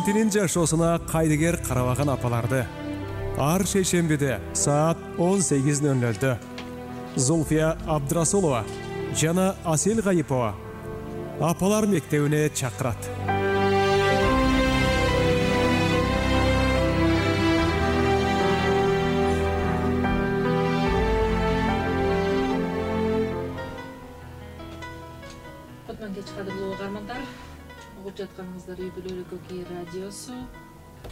четинин жашоосуна кайдыгер карабаган апаларды ар шейшембиде саат 18:00 Зульфия Абдрасулова жана Асел Гайипова апалар мектебине чакырат. Кеч кадырлуу угармандар, угуп жатканыңыздар үй бүлөлүк Кей радиосу.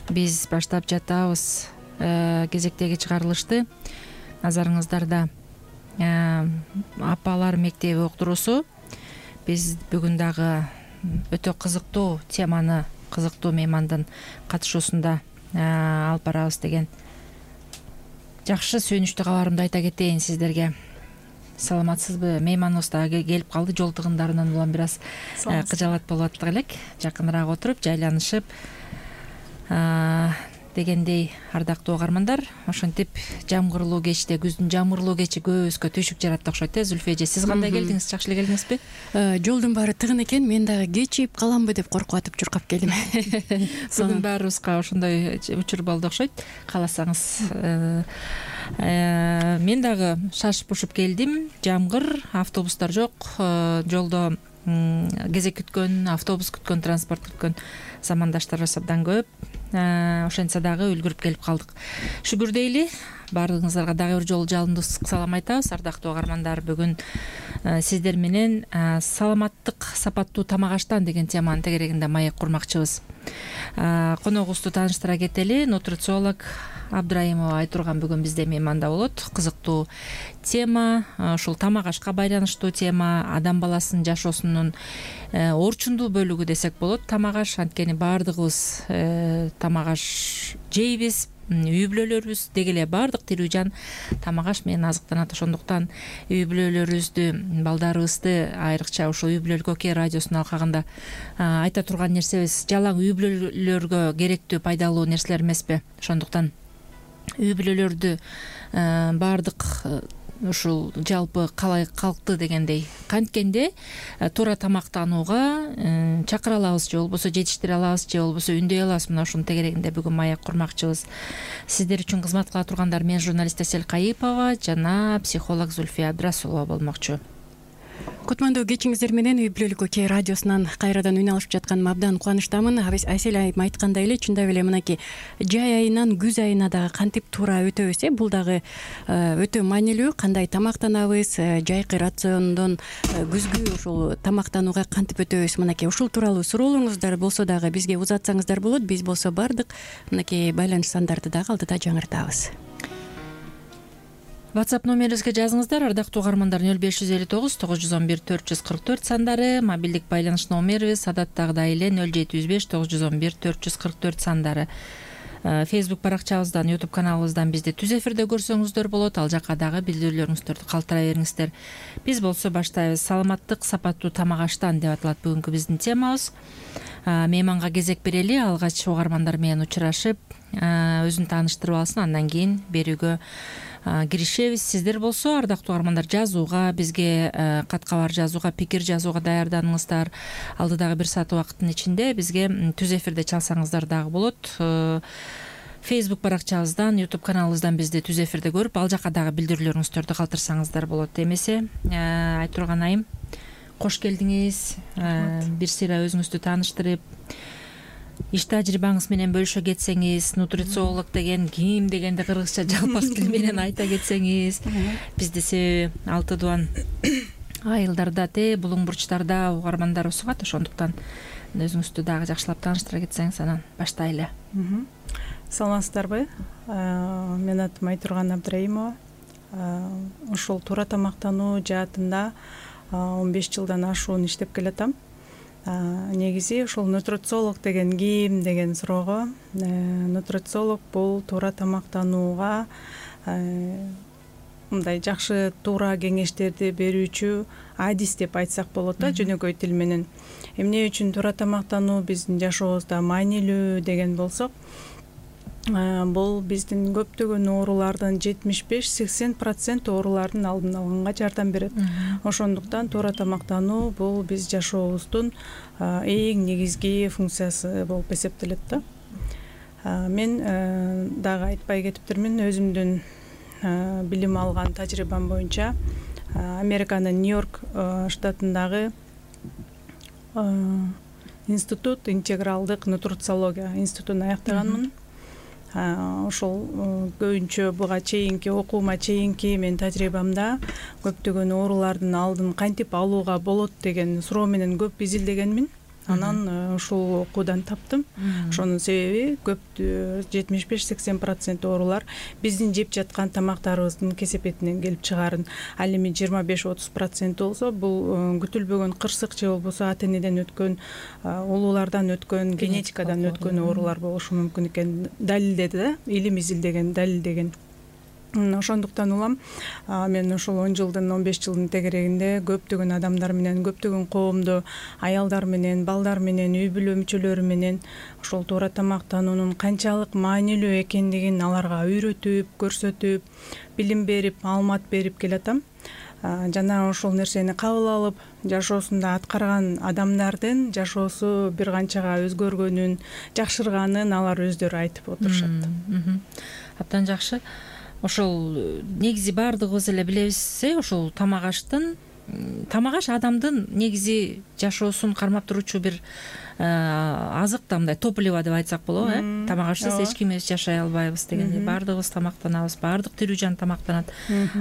Биз баштап жатабыз кезектеги чыгарылышты. Назарыңыздарда апалар мектеби уктуруусу. Биз бүгүн дагы өтө кызыктуу теманы кызыктуу меймандын катышуусунда алып барабыз деген жакшы сүйүнүчтүү кабарымды айта кетейин сиздерге. Саламатсызбы? Мейманыбыз дагы келип калды. Жол тыгындарынан улам бир аз кыжалат болуп аттык элек. Жакыныраак отуруп, жайланышып дегендей, ардактуу угармандар, ошентип жамгырлуу кечте, күздүн жамгырлуу кечи көбүбүзгө түйшүк жаратты окшойт. Зульфия эже, сиз кандай келдиңиз? Жакшы эле келдиңизби? Жолдун баары тыгын экен, мен дагы кечип каламбы деп коркуп атып чуркап келдим. Бүгүн баарыбызга ошондой учур болду окшойт. Кааласаңыз, мен дагы шашып ушуп келдим. Жамгыр, автобустар жок, жолдо кезек күткөн, автобус күткөн, транспорт күткөн замандаштарыбыз абдан көп. Ошентсе дагы үлгүрүп келип калдык. Шүгүр дейли. Баардыгыңыздарга дагы бир жолу жалындуу салам айтабыз. Ардактуу угармандар, бүгүн сиздер менен саламаттык сапаттуу тамак аштан деген теманын тегерегинде маек курмакчыбыз. Коногубузду тааныштыра кетели. Нутрициолог Абдраимова Айтурган бүгүн бизде мейманда болот. Кызыктуу тема, ушул тамак ашка байланыштуу тема, адам баласынын жашоосунун орчундуу бөлүгү десек болот. Тамак аш, анткени баардыгыбыз тамак аш жейбиз, үй бүлөлөрүбүз деги эле баардык тирүү жан тамак аш менен азыктанат. Ошондуктан үй бүлөлөрүбүздү, балдарыбызды, айрыкча ушул үй бүлөлүк Кей радиосунун алкагында айта турган нерсебиз жалаң үй бүлөлөргө керектүү, пайдалуу нерселер эмеспи? Ошондуктан үй бүлөлөрдү баардык ушул жалпы калкты дегендей канткенде туура тамактанууга чакыра алабыз же болбосо жетиштире алабыз же болбосо үндөй алабыз. Мына ушунун тегерегинде бүгүн маек курмакчыбыз. Сиздер үчүн кызмат кыла тургандар мен журналист Асел Гайипова жана психолог Зульфия Абдрасулова болмокчу. Кутмандуу кечиңиздер менен үй бүлөлүк Кей радиосунан кайрадан үн алышып жатканыма абдан кубанычтамын. Асел айым айткандай эле, чындап эле мынакей жай айынан күз айына дагы кантип туура өтөбүз, бул дагы өтө маанилүү. Кандай тамактанабыз, жайкы рациондон күзгү ушул тамактанууга кантип өтөбүз, мынакей ушул тууралуу суроолоруңуздар болсо дагы бизге узатсаңыздар болот. Биз болсо бардык мынакей байланыш сандарды дагы алдыда жаңыртабыз. WhatsApp номерибизге жазыңыздар. Ардактуу угармандар, 0559 911 444 сандары, мобилдик байланыш номерибиз адаттагыдай эле 0705 911 444 сандары. Facebook баракчабыздан, YouTube каналыбыздан бизди түз эфирде көрсөңүздөр болот. Ал жака дагы билдирүүлөрүңүздөрдү калтыра бериңиздер. Биз болсо баштайбыз. Саламаттык сапаттуу тамак аштан деп аталат бүгүнкү биздин темабыз. Мейманга кезек берели, алгач угармандар менен учурашып, өзүн тааныштырып алсын, андан кийин берүүгө киришебиз. Сиздер болсо, ардактуу угармандар, жазууга, бизге кат кабар жазууга, пикир жазууга даярданыңыздар. Алдыдагы бир саат убакыттын ичинде бизге түз эфирде чалсаңыздар дагы болот. Facebook баракчабыздан, YouTube каналыбыздан бизди түз эфирде көрүп, ал жака дагы билдирүүлөрүңүздөрдү калтырсаңыздар болот. Эмесе, Айтурган айым, кош келдиңиз. Бир сыйра өзүңүздү тааныштырып, иш тажрыйбаңыз менен бөлүшө кетсеңиз, нутрициолог деген ким дегенди кыргызча жалпак тил менен айта кетсеңиз. Бизде себеби алты дуан айылдарда, булуң бурчтарда угармандар усугат, ошондуктан өзүңүздү дагы жакшылап тааныштыра кетсеңиз, анан баштайлы. Саламатсыздарбы? Мен атым Айтурган Абдраимова. Ушул туура тамактануу жаатында 15 жылдан ашуун иштеп келатам. Негизи ушул нутрициолог деген ким деген суроого, нутрициолог бул туура тамактанууга мындай жакшы туура кеңештерди берүүчү адис деп айтсак болот да, жөнөкөй тил менен. Эмне үчүн туура тамактануу биздин жашообузда маанилүү деген болсок, бул биздин көптөгөн оорулардын 75-80% оорулардын алдын алганга жардам берет. Ошондуктан туура тамактануу бул биз жашообуздун эң негизги функциясы болуп эсептелет да. Мен дагы айтпай кетиптирмин, өзүмдүн билим алган тажрыйбам боюнча Американын Нью-Йорк штатындагы институт, интегралдык нутрициология институтун аяктаганмын. Ошол көбүнчө буга чейинки окуума чейинки мен тажрыйбамда көптөгөн оорулардын алдын кантип алууга болот деген суроо менен көп изилдегенмин. Анан ушул окуудан таптым. Ошонун себеби көп 75-80% оорулар биздин жеп жаткан тамактарыбыздын кесепетинен келип чыгарын. Ал эми 25-30% болсо, бул күтүлбөгөн кырсык же болбосо ата энеден өткөн, улуулардан өткөн, генетикадан өткөн оорулар болушу мүмкүн экен далилдеди да, илим изилдеген, далилдеген. Ошондуктан улам мен ошол 10 жылдын 15 жылдын тегерегинде көптөгөн адамдар менен, көптөгөн коомдо, аялдар менен, балдар менен, үй бүлө мүчөлөрү менен ошол туура тамактануунун канчалык маанилүү экендигин аларга үйрөтүп, көрсөтүп, билим берип, маалымат берип келатам. Жана ошол нерсени кабыл алып, жашоосунда аткарган адамдардын жашоосу бир канчага өзгөргөнүн, жакшырганын алар өздөрү айтып отурушат. Абдан жакшы. Ошол негизи баардыгыбыз эле билебиз, ошол тамак аш адамдын негизи жашоосун кармап туруучу бир азык да, мындай топливо деп айтсак болобу, тамак ашсыз эч кимибиз жашай албайбыз дегендей. Баардыгыбыз тамактанабыз, баардык тирүү жан тамактанат.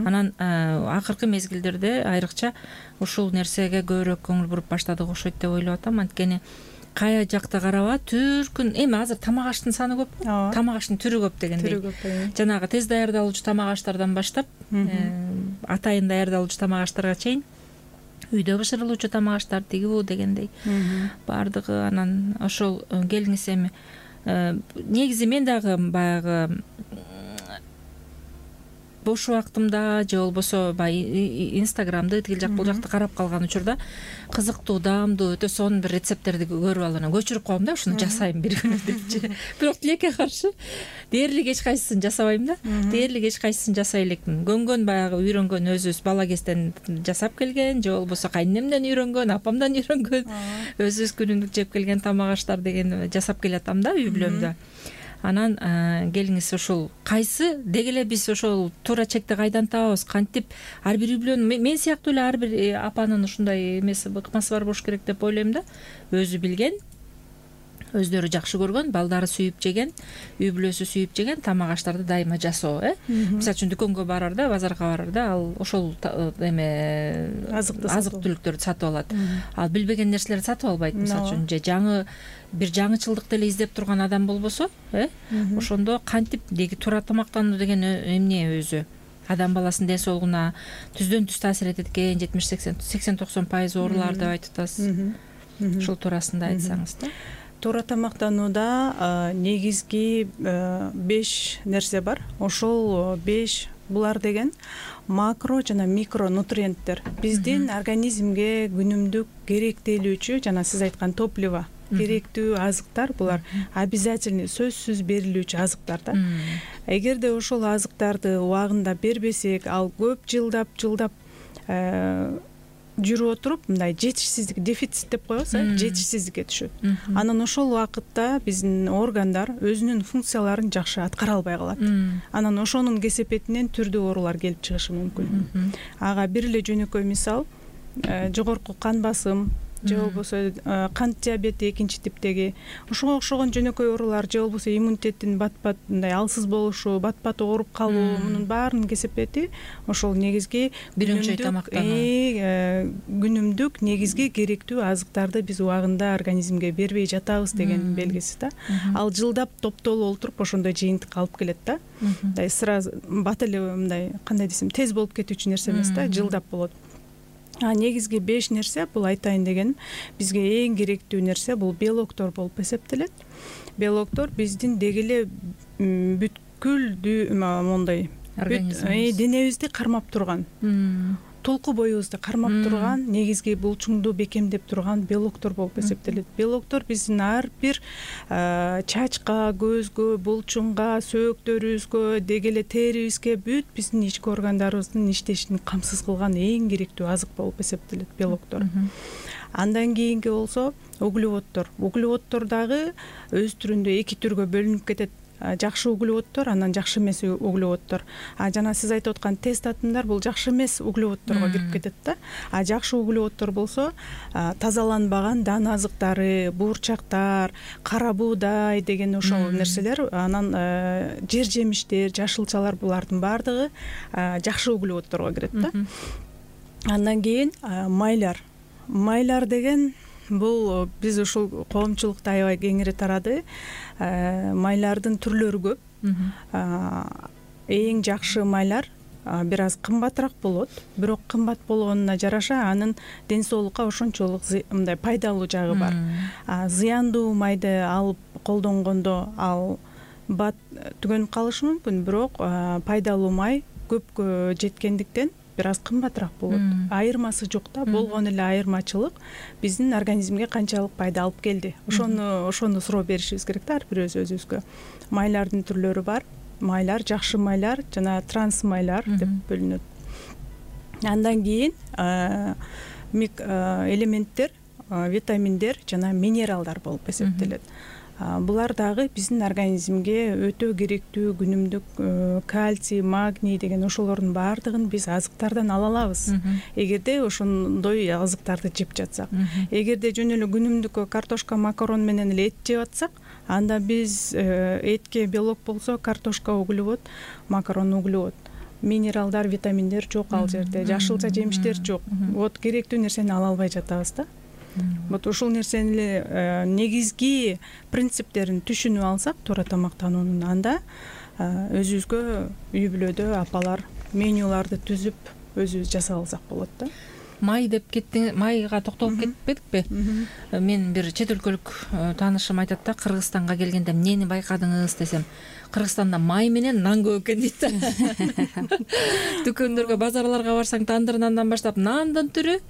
Анан акыркы мезгилдерде айрыкча ушул нерсеге көбүрөөк көңүл буруп баштадык окшойт деп ойлоп атам. Анткени кая жакта караба түркүн эми азыр тамак аштын саны көппү, тамак аштын түрү көп дегендей. Жанагы тез даярдалуучу тамак аштардан баштап атайын даярдалуучу тамак аштарга чейин, үйдө бышырылуучу тамак аштар тиги бу дегендей баардыгы. Анан ошол келиңиз эми негизи мен дагы баягы бош убактымда же болбосо баягы инстаграмды тигил жак бул жакта карап калган учурда кызыктуу, даамдуу, өтө сонун бир рецепттерди көрүп алып анан көчүрүп коем да, ушуну жасайм бир күнү депчи. Бирок тилекке каршы дээрлик эч кайсысын жасабайм да. Дээрлик эч кайсысын жасай элекмин. Көнгөн баягы үйрөнгөн өзүбүз бала кезден жасап келген, же болбосо кайненемден үйрөнгөн, апамдан үйрөнгөн, өзүбүз күнүмдүк жеп келген тамак аштар деген жасап келатам да үй бүлөмдө. Анан келиңиз, ошол кайсы деги эле биз ошол туура чекти кайдан табабыз, кантип ар бир үй бүлөнүн, мен сыяктуу эле ар бир апанын ушундай эмеси, ыкмасы бар болуш керек деп ойлойм да. Өзү билген, өздөрү жакшы көргөн, балдары сүйүп жеген, үй бүлөсү сүйүп жеген тамак аштарды дайыма жасоо. Мисалы үчүн дүкөнгө барарда, базарга барарда ал ошол эме азык түлүктөрдү сатып алат. Ал билбеген нерселерди сатып албайт. Мисалы үчүн же бир жаңычылдыкты эле издеп турган адам болбосо, ошондо кантип деги туура тамактануу деген эмне өзү адам баласынын ден соолугуна түздөн түз таасир этет экен, 70-80-90% оорулар деп айтып атасыз. Ушул туурасында айтсаңыз да. Туура тамактанууда негизги 5 нерсе бар. Ошол 5 булар деген макро жана микро нутриенттер. Биздин организмге күнүмдүк керектелүүчү, жана сиз айткан топливо, керектүү азыктар булар обязательный, сөзсүз берилүүчү азыктар да. Эгерде ошол азыктарды убагында бербесек, ал көп жылдап жүрүп отуруп мындай жетишсиздик, дефицит деп коебуз, жетишсиздикке түшөт. Анан ошол убакытта биздин органдар өзүнүн функцияларын жакшы аткара албай калат. Анан ошонун кесепетинен түрдүү оорулар келип чыгышы мүмкүн. Ага бир эле жөнөкөй мисал, жогорку кан басым, же болбосо кант диабети экинчи типтеги, ошого окшогон жөнөкөй оорулар, же болбосо иммунитеттин бат-бат мындай алсыз болушу, бат-бат ооруп калуу, мунун баарынын кесепети ошол негизги күнүмдүк негизги керектүү азыктарды биз убагында организмге бербей жатабыз деген белгиси да. Ал жылдап топтолуп олтуруп ошондой жыйынтыкка алып келет да. Мындай сразу бат эле мындай кандай десем тез болуп кетүүчү нерсе эмес да, жылдап болот. Негизги 5 нерсе бул айтайын дегеним, бизге эң керектүү нерсе бул белоктор болуп эсептелет. Белоктор биздин деги эле бүткүл мондай денебизди кармап турган. толку боюбузду кармап турган негизги булчуңду бекемдеп турган белоктор болуп эсептелет. Белоктор биздин ар бир чачка, көзгө, булчуңга, сөөктөрүбүзгө, деги эле терибизге бүт биздин ички органдарыбыздын иштешин камсыз кылган эң керектүү азык болуп эсептелет белоктор. Андан кийинки болсо углеводдор. Углеводдор дагы өз түрүндө эки түргө бөлүнүп кетет. Жакшы углеводдор, анан жакшы эмес углеводдор. Жана сиз айтып аткан тест атымдар бул жакшы эмес углеводдорго кирип кетет да. Жакшы углеводдор болсо тазаланбаган дан азыктары, буурчактар, кара буудай деген ошол нерселер, анан жер жемиштер, жашылчалар, булардын баардыгы жакшы углеводдорго кирет да. Андан кийин майлар. Майлар деген бул биз ушул коомчулукта аябай кеңири тарады. Майлардын түрлөрү көп. Эң жакшы майлар бир аз кымбатыраак болот, бирок кымбат болгонуна жараша анын ден соолукка ошончолук мындай пайдалуу жагы бар. Зыяндуу майды алып колдонгондо ал бат түгөнүп калышы мүмкүн, бирок пайдалуу май көпкө жеткендиктен бир аз кымбатыраак болот. Айырмасы жок да, болгон эле айырмачылык биздин организмге канчалык пайда алып келди. Ошону суроо беришибиз керек да ар бирөөбүз өзүбүзгө. Майлардын түрлөрү бар. Майлар, жакшы майлар жана транс майлар деп бөлүнөт. Андан кийин элементтер, витаминдер жана минералдар болуп эсептелет. Булар дагы биздин организмге өтө керектүү күнүмдүк кальций, магний деген ошолордун баардыгын биз азыктардан ала алабыз. Эгерде ошондой азыктарды жеп жатсак. Эгерде жөн эле күнүмдүк картошка, макарон менен эле эт жеп атсак, анда биз этке белок болсо, картошка углевод, макарон углевод. Минералдар, витаминдер жок ал жерде, жашылча жемиштер жок. Вот керектүү нерсени ала албай жатабыз да. Вот ушул нерсени негизги принциптерин түшүнүп алсак, туура тамактануунун, анда өзүбүзгө үй бүлөдө апалар менюларды түзүп өзүбүз жасап алсак болот да. Май деп кеттиң, майга токтолуп кетпедикпи? Мен бир чет өлкөлүк таанышым айтат да, Кыргызстанга келгенде эмнени байкадыңыз десем, Кыргызстанда май менен нан көп экен дейт да. Дүкөндөргө, базарларга барсаң тандыр нандан баштап нандын түрү,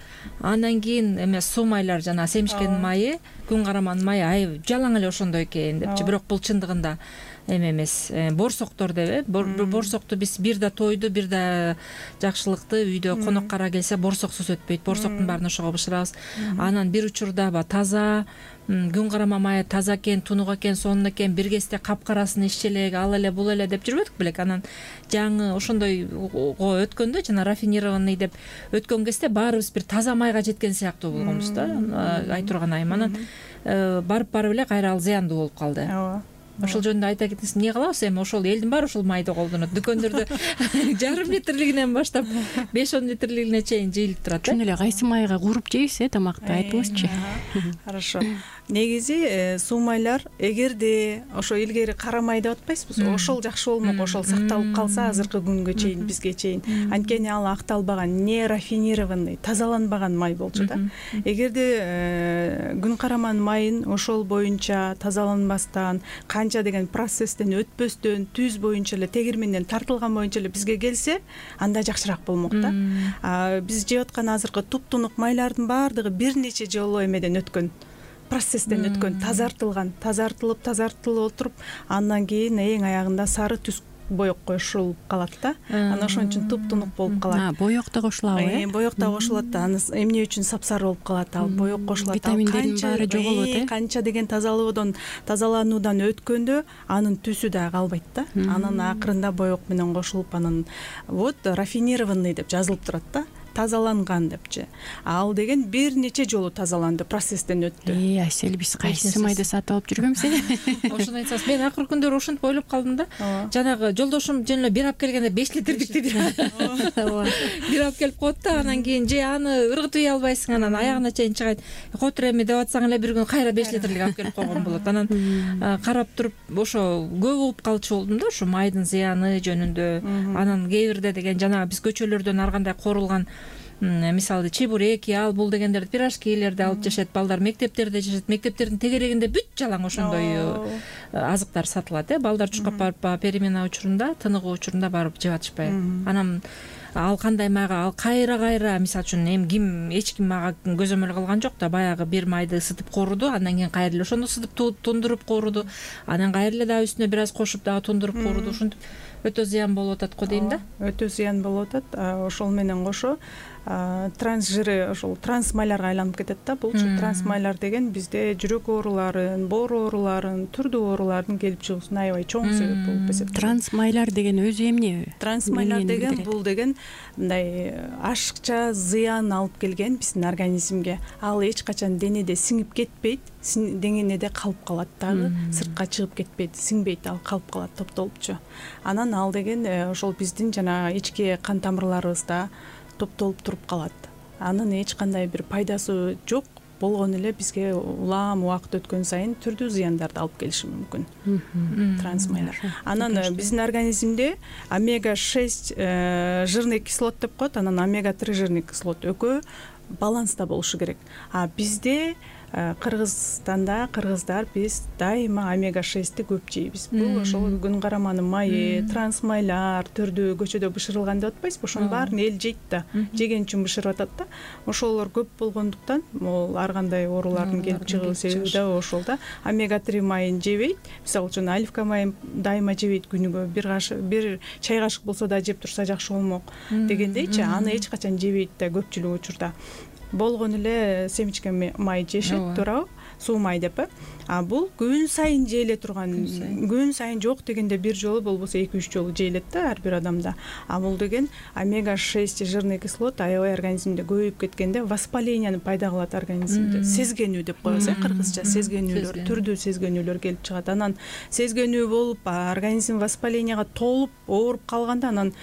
андан кийин эме суу майлар жана семишкенин майы, күн караманын майы жалаң эле ошондой экен депчи. Бирок бул чындыгында эме эмес, борсоктор деп, борсокту биз бир да тойду, бир да жакшылыкты үйдө конок кара келсе борсоксуз өтпөйт. Борсоктун баарын ошого бышырабыз. Анан бир учурда таза күн карама майы таза экен, тунук экен, сонун экен, бир кезде капкарасын иччи эле, ал эле, бул эле деп жүрбөдүк белек. Анан жаңы ошондойго өткөндө, жана рафинированный деп өткөн кезде баарыбыз бир таза майга жеткен сыяктуу болгонбуз да. Айтурган айым. Анан барып эле кайра ал зыяндуу болуп калды. Ошол жөнүндө айта кетсеңиз, эмне кылабыз эми? Ошол элдин баары ушул майды колдонот. Дүкөндөрдө жарым литрлигинен баштап 5-10 литрлигине чейин жыйылып турат. Чын эле кайсы майга кууруп жейбиз тамакты, айтыңызчы. Хорошо. Негизи суу майлар, эгерде ошо илгери кара май деп атпайсызбы, ошол жакшы болмок, ошол сакталып калса азыркы күнгө чейин, бизге чейин. Анткени ал акталбаган, не рафинированный, тазаланбаган май болчу да. Эгерде күн караманын майын ошол боюнча тазаланбастан, канча деген процесстен өтпөстөн, түз боюнча эле, тегирменден тартылган боюнча эле бизге келсе, анда жакшыраак болмок да. Биз жеп аткан азыркы туп-тунук майлардын баардыгы бир нече жолу эмеден өткөн, процесстен өткөн, тазартылып отуруп, андан кийин эң аягында сары түс боек кошулуп калат да. Анан ошон үчүн туп-тунук болуп калат. Боек да кошулабы? Боек да кошулат да. Аны эмне үчүн сапсары болуп калат? Ал боек кошулат. Витаминдердин баары жоголот, канча деген тазалануудан өткөндө анын түсү да калбайт да. Анан акырында боек менен кошулуп, анан вот рафинированный деп жазылып турат да. Тазаланган депчи. Ал деген бир нече жолу тазаланды, процесстен өттү. Айсел, биз кайсы майды сатып алып жүргөнбүз эле? Ошону айтсаңыз, мен акыркы күндөрү ошентип ойлоп калдым да. Жанагы жолдошум жөн эле бир алып келгенде 5 литрдикти бир алып келип коет да, анан кийин же аны ыргытып албайсың, анан аягына чейин чыгайт. Котур эми деп атсаң эле бир күн кайра 5 литрлик алып келип койгон болот. Анан карап туруп ошо көп угуп калчу болдум да, ошо майдын зыяны жөнүндө. Анан кээ бирде деген жанагы биз көчөлөрдөн ар кандай корулган, мисалы чебуреки, ал бул дегендерди, пирожкилерди алып жашайт, балдар мектептерде жашайт. Мектептердин тегерегинде бүт жалаң ошондой азыктар сатылат. Балдар чуркап барып перемена учурунда, тыныгуу учурунда барып жеп атышпайбы. Анан ал кандай майга, ал кайра мисалы үчүн эми эч ким мага көзөмөл кылган жок да, баягы бир майды ысытып кооруду, андан кийин кайра эле ошону ысытып тундуруп кооруду, анан кайра эле дагы үстүнө бир аз кошуп дагы тундуруп кооруду. Ушинтип өтө зыян болуп атат го дейм да. Өтө зыян болуп атат. Ошол менен кошо транс жиры, ошол транс майларга айланып кетет да. Булчу транс майлар деген бизде жүрөк ооруларын, боор ооруларын, түрдүү оорулардын келип чыгуусуна аябай чоң себеп болуп эсептелет. Транс майлар деген өзү эмне? Транс майлар деген бул деген мындай ашыкча зыян алып келген биздин организмге. Ал эч качан денеде сиңип кетпейт, денеде калып калат дагы, сыртка чыгып кетпейт, сиңбейт, ал калып калат топтолупчу. Анан ал деген ошол биздин жана ички кан тамырларыбызда топтолуп туруп калат. Анын эч кандай бир пайдасы жок, болгону эле бизге улам убакыт өткөн сайын түрдүү зыяндарды алып келиши мүмкүн. Транс майлар. Анан биздин организмде омега 6 жирный кислот деп коет, анан омега 3 жирный кислот экөө баланста болушу керек. А бизде Кыргызстанда кыргыздар биз дайыма омега 6-ти көп жейбиз. Бул ошол күн караманын майы, транс майлар, түрдүү көчөдө бышырылган деп атпайсызбы? Ошонун баарын эл жейт да, жеген үчүн бышырып атат да. Ошолор көп болгондуктан могул ар кандай оорулардын келип чыгуу себеби да ошол да. Омега 3 майын жебейт. Мисалы үчүн оливка майын дайыма жебейт, күнүгө бир чай кашык болсо да жеп турса жакшы болмок дегендейчи, аны эч качан жебейт да көпчүлүк учурда. Болгону эле семечка май жешет, туурабы? Суу май деп. А бул күн сайын жейле турган, күн сайын жок дегенде бир жолу болбосо 2-3 жолу жейлет да ар бир адамда. А бул деген омега 6 жирный кислот аябай организмде көбөйүп кеткенде воспалениени пайда кылат организмде. Сезгенүү деп коебуз, кыргызча сезгенүүлөр, түрдүү сезгенүүлөр келип чыгат. Анан сезгенүү болуп, организм воспалениега толуп, ооруп калганда анан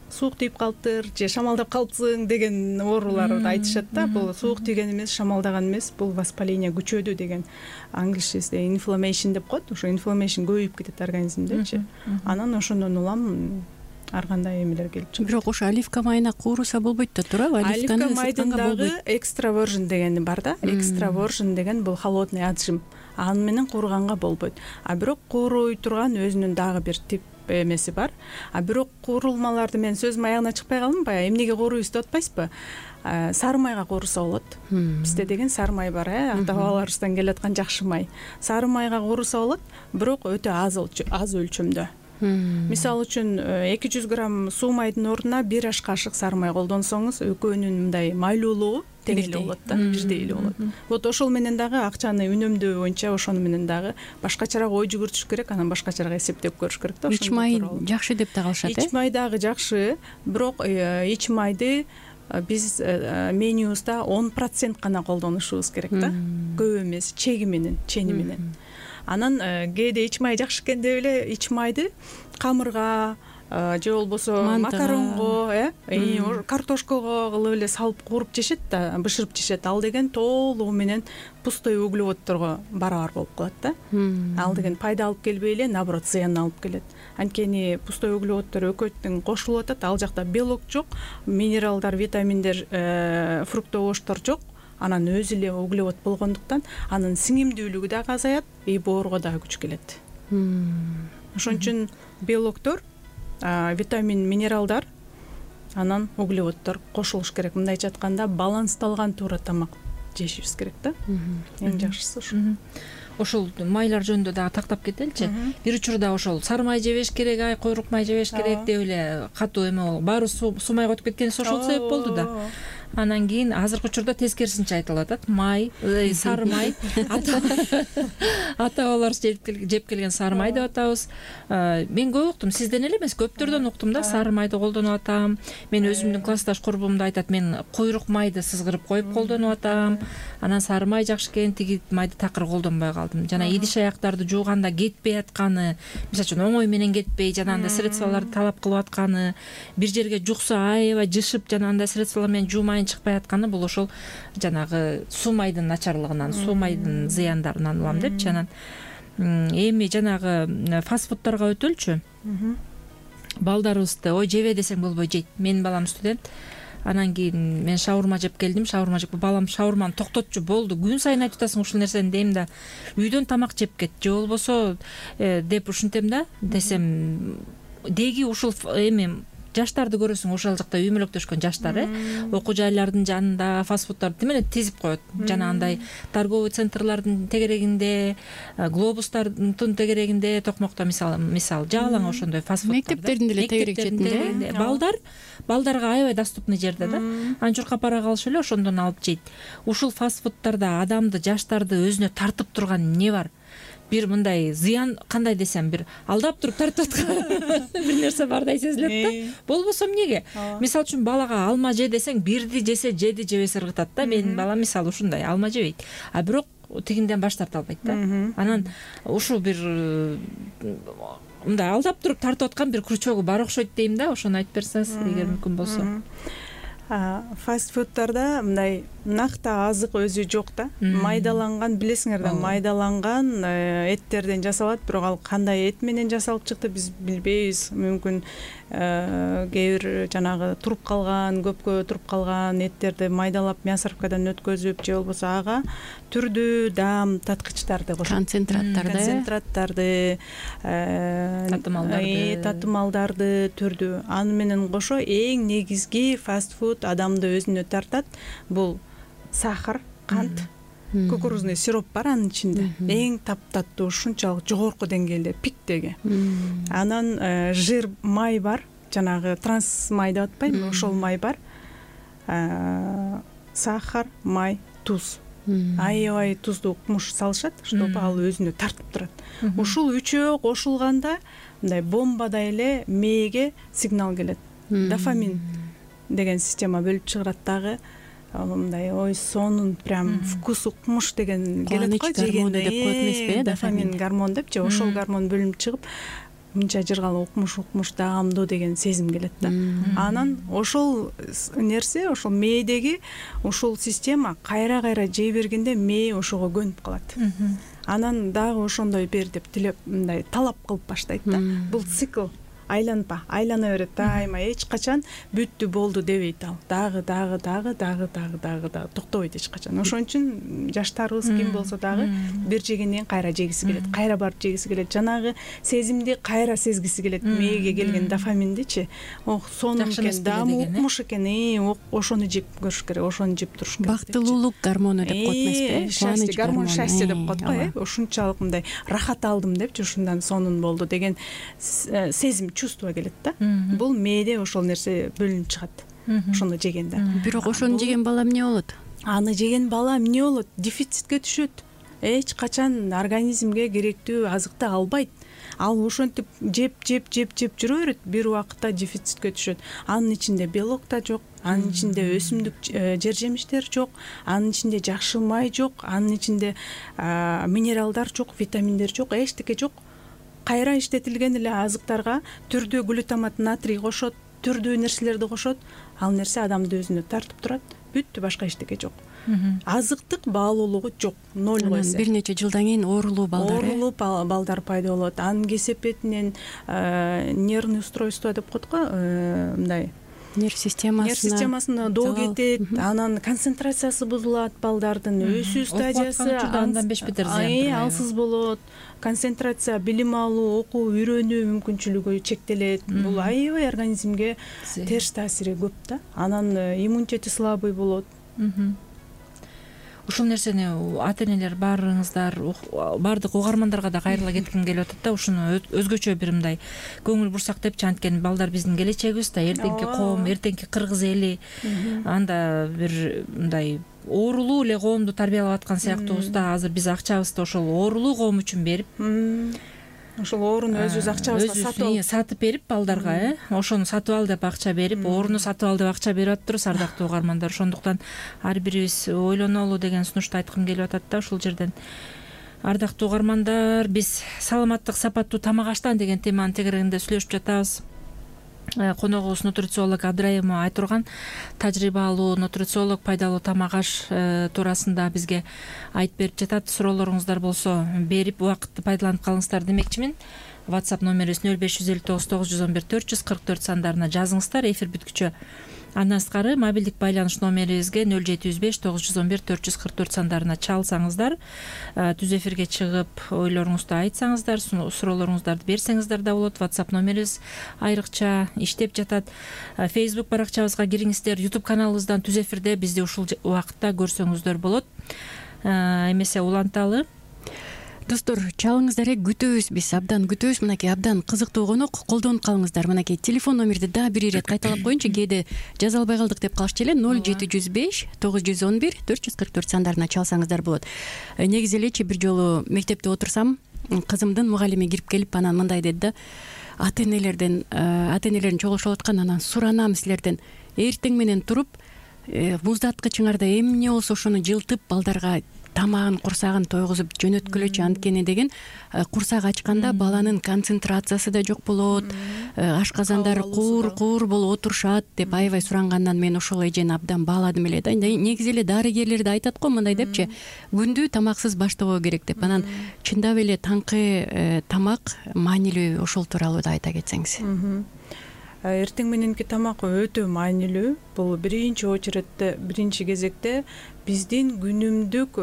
суук тийип калыптыр же шамалдап калыпсың деген ооруларды айтышат да. Бул суук тийген эмес, шамалдаган эмес, бул воспаление күчөдү деген. Англисчеде inflammation деп коет. Ошо inflammation көбөйүп кетет организмдечи. Анан ошондон улам ар кандай эмелер келип чыгат. Бирок ошо оливка майына кууруса болбойт да, туурабы? Оливка майдын дагы extra virgin деген бар да. Extra virgin деген бул холодный отжим. Аны менен кууруганга болбойт. А бирок кууруй турган өзүнүн дагы бир тип эмеси бар. А бирок куурулмаларды мен сөзүм аягына чыкпай калдым, баягы эмнеге кууруйбуз деп атпайсызбы? Сары майга кууруса болот. Бизде деген сары май бар, ата бабаларыбыздан келаткан жакшы май. Сары майга кууруса болот, бирок өтө аз өлчөмдө. Мисалы үчүн 200 грамм суу майдын ордуна 1 аш кашык сары май колдонсоңуз, экөөнүн мындай майлуулугу тең эле болот да, бирдей эле болот. Вот ошол менен дагы акчаны үнөмдөө боюнча ошону менен дагы башкачараак ой жүгүртүш керек, анан башкачараак эсептеп көрүш керек да. Ич май жакшы деп да калышат, Ич май дагы жакшы, бирок ич майды биз менюбузда 10% гана колдонушубуз керек да. Көп эмес, чеги менен, чени менен. Анан кээде ич май жакшы экен деп эле ич майды камырга же болбосо макаронго, картошкого кылып эле салып кууруп жешет да, бышырып жешет. Ал деген толугу менен пустой углеводдорго барабар болуп калат да. Ал деген пайда алып келбей эле, наоборот, зыян алып келет. Анткени пустой углеводдор экөөтүн кошулуп атат, ал жакта белок жок, минералдар, витаминдер, фруктовоштор жок. Анан өзү эле углевод болгондуктан анын сиңимдүүлүгү дагы азаят, боорго дагы күч келет. Ошон үчүн белоктор, витамин, минералдар, анан углеводдор кошулуш керек. Мындайча айтканда балансталган туура тамак жешибиз керек да. Эң жакшысы ошо. Ошол майлар жөнүндө дагы тактап кетеличи. Бир учурда ошол сары май жебеш керек, койрук май жебеш керек деп эле катуу эме баары суу майга өтүп кеткенибиз ошол себеп болду да. Анан кийин азыркы учурда тескерисинче айтылып атат. Май, сары май, ата бабаларыбыз жеп келген сары май деп атабыз. Мен көп уктум, сизден эле эмес, көптөрдөн уктум да, сары майды колдонуп атам. Мен өзүмдүн классташ курбумда айтат, мен койрук майды сызгырып коюп колдонуп атам. Анан сары май жакшы экен, тиги майды такыр колдонбой калдым. Жана идиш аяктарды жууганда кетпей атканы, мисалы үчүн оңой менен кетпей, жанагындай средстволорду талап кылып атканы, бир жерге жукса аябай жышып, жанагындай средстволор менен жуумайын чыкпай атканы, бул ошол жанагы суу майдын начарлыгынан, суу майдын зыяндарынан улам депчи. Анан эми жанагы фастфуддарга өтөлчү. Балдарыбызды ой жебе десең болбой жейт. Менин балам студент. Анан кийин мен шаурма жеп келдим, шаурма жеп, балам шаурманы токтотчу, болду, күн сайын айтып атасың ушул нерсени дейм да, үйдөн тамак жеп кет, же болбосо деп ушинтем да, десем деги ушул эми жаштарды көрөсүң, ошол жакта үй мүлөктөшкөн жаштар окуу жайлардын жанында фастфудтарды тим менен тизип коет. Жана андай торговый центрлардын тегерегинде, глобустардын тегерегинде, токмокто мисалы жаалаң ошондой фастфудтар. Мектептердин деле тегерегинде балдарга аябай доступный жерде да. Анчурка пара калышы эле ошондон алып жейт. Ушул фастфудтарда адамды, жаштарды өзүнө тартып турган эмне бар? Бир мындай зыян, кандай десем, бир алдап туруп тартып аткан бир нерсе бардай сезилет да. Болбосо эмнеге? Мисалы үчүн балага алма же десең, бирди жесе жеди жебес ыргытат да. Менин балам мисалы ушундай, алма жебейт. А бирок тигинден баш тарта албайт да. Анан ушул бир мындай алдап туруп тартып аткан бир крючогу бар окшойт дейм да. Ошону айтып берсеңиз, эгер мүмкүн болсо. Фастфудтарда мындай накты азык өзү жок да. Майдаланган, билесиңер да, майдаланган эттерден жасалат, бирок ал кандай эт менен жасалып чыкты биз билбейбиз. Мүмкүн кээ бир жанагы туруп калган, көпкө туруп калган эттерди майдалап мясорубкадан өткөзүп же болбосо ага түрдүү даам таткычтарды кошот. Концентраттарды, татымалдарды түрдүү. Аны менен кошо эң негизги фастфуд адамды өзүнө тартат. Бул сахар, кант, кукурузный сироп бар анын ичинде. Эң таптаттуу, ушунчалык жогорку деңгээлде, пиктеги. Анан жир, май бар, жанагы транс май деп атпайбы, ошол май бар. Сахар, май, туз. Аябай туздуу укмуш салышат, чтобы ал өзүнө тартып турат. Ушул үчөө кошулганда мындай бомбадай эле мээге сигнал келет. Дофамин деген система бөлүп чыгарат дагы. Мындай ой сонун прям вкус укмуш деген келет го жегенде деп коет эмеспи? Дофамин гормон депчи, ошол гормон бөлүнүп чыгып мынча жыргалы укмуш даамдуу деген сезим келет да. Анан ошол нерсе, ошол мээдеги ушул система кайра жей бергенде мээ ошого көнүп калат. Анан дагы ошондой бер деп тилеп мындай талап кылып баштайт да. Бул цикл айлана берет дайыма, эч качан бүттү болду дебейт ал. Дагы токтобойт эч качан. Ошон үчүн жаштарыбыз ким болсо дагы бир жегенден кайра жегиси келет, кайра барып жегиси келет. Жанагы сезимди кайра сезгиси келет. Мээге келген дофаминдичи, сонун экен, даамы укмуш экен, ошону жеп көрүш керек, ошону жеп туруш керек. Бактылуулук гормону деп коет эмеспи? Счастье, гормон счастье деп коет го, ушунчалык мындай рахат алдым депчи, ушундан сонун болду деген сезим, чувство келет да. Бул мээде ошол нерсе бөлүнүп чыгат. Ошону жегенде. Бирок ошону жеген бала эмне болот? Аны жеген бала эмне болот? Дефицитке түшөт. Эч качан организмге керектүү азыкты албайт. Ал ошентип жеп жүрө берет, бир убакытта дефицитке түшөт. Анын ичинде белок да жок, анын ичинде өсүмдүк жер жемиштер жок, анын ичинде жакшы май жок, анын ичинде минералдар жок, витаминдер жок, эчтеке жок. Кайра иштетилген эле азыктарга түрдүү глутамат, натрий кошот, түрдүү нерселерди кошот. Ал нерсе адамды өзүнө тартып турат. Бүттү, башка эчтеке жок. Азыктык баалуулугу жок, 0 эсе. Бир нече жылдан кийин оорулуу балдар пайда болот. Анын кесепетинен нервный устройство деп коет го, мындай нерв системасына доо кетет, анан концентрациясы бузулат, балдардын өсүү стадиясы андан беш бетер зыян, алсыз болот, концентрация, билим алуу, окуу, үйрөнүү мүмкүнчүлүгү чектелет. Бул аябай организмге терс таасири көп да. Анан иммунитети слабый болот. Ушул нерсени ата-энелер баарыңыздар, баардык угармандарга да кайрыла кетким келип атат да. Ушуну өзгөчө бир мындай көңүл бурсак депчи, анткени балдар биздин келечегибиз да, эртеңки коом, эртеңки кыргыз эли. Анда бир мындай оорулуу эле коомду тарбиялап аткан сыяктуубуз да. Азыр биз акчабызды ошол оорулуу коом үчүн берип, ошол ооруну өзүбүз акчабызга сатып берип балдарга, ошону сатып ал деп акча берип, ооруну сатып ал деп акча берип атыптырбыз, ардактуу угармандар. Ошондуктан ар бирибиз ойлонолу деген сунушту айткым келип атат да ушул жерден. Ардактуу угармандар, биз саламаттык сапаттуу тамак аштан деген теманын тегерегинде сүйлөшүп жатабыз. Коногубуз нутрициолог Абдраимова Айтурган, тажрыйбалуу нутрициолог, пайдалуу тамак аш туурасында бизге айтып берип жатат. Суроолоруңуздар болсо берип убакытты пайдаланып калыңыздар демекчимин. WhatsApp номерибиз 0559 911 444 сандарына жазыңыздар. Эфир бүткүчө Андан сырткары мобилдик байланыш номерибизге 0705 911 444 сандарына чалсаңыздар, түз эфирге чыгып ойлоруңузду айтсаңыздар, суроолоруңуздарды берсеңиздер да болот. WhatsApp номерибиз айрыкча иштеп жатат. Facebook баракчабызга кириңиздер, YouTube каналыбыздан түз эфирде бизди ушул убакытта көрсөңүздөр болот. Эмесе уланталы. Достор, чалыңыздар, күтөбүз, биз абдан күтөбүз. Мынакей абдан кызыктуу конок, колдонуп калыңыздар. Мынакей телефон номерди да бир ирет кайталап коеюнчу, кээде жаза албай калдык деп калышчу эле. 0705 911 444 сандарына чалсаңыздар болот. Негизи элечи бир жолу мектепте отурсам, кызымдын мугалими кирип келип анан мындай деди да: ата энелердин чогулушуп аткан, анан суранам силерден, эртең менен туруп муздаткычыңарда эмне болсо ошону жылтып балдарга тамагын, курсагын тойгузуп жөнөткүлөчү, анткени деген курсак ачканда баланын концентрациясы да жок болот, ашказандар куур болуп отурушат деп аябай сурангандан мен ошол эжени абдан бааладым эле да. Негизи эле дарыгерлер да айтат го мындай депчи, күндү тамаксыз баштабоо керек деп. Анан чындап эле таңкы тамак маанилүү, ошол тууралуу да айта кетсеңиз. Эртең мененки тамак өтө маанилүү. Бул биринчи кезекте биздин күнүмдүк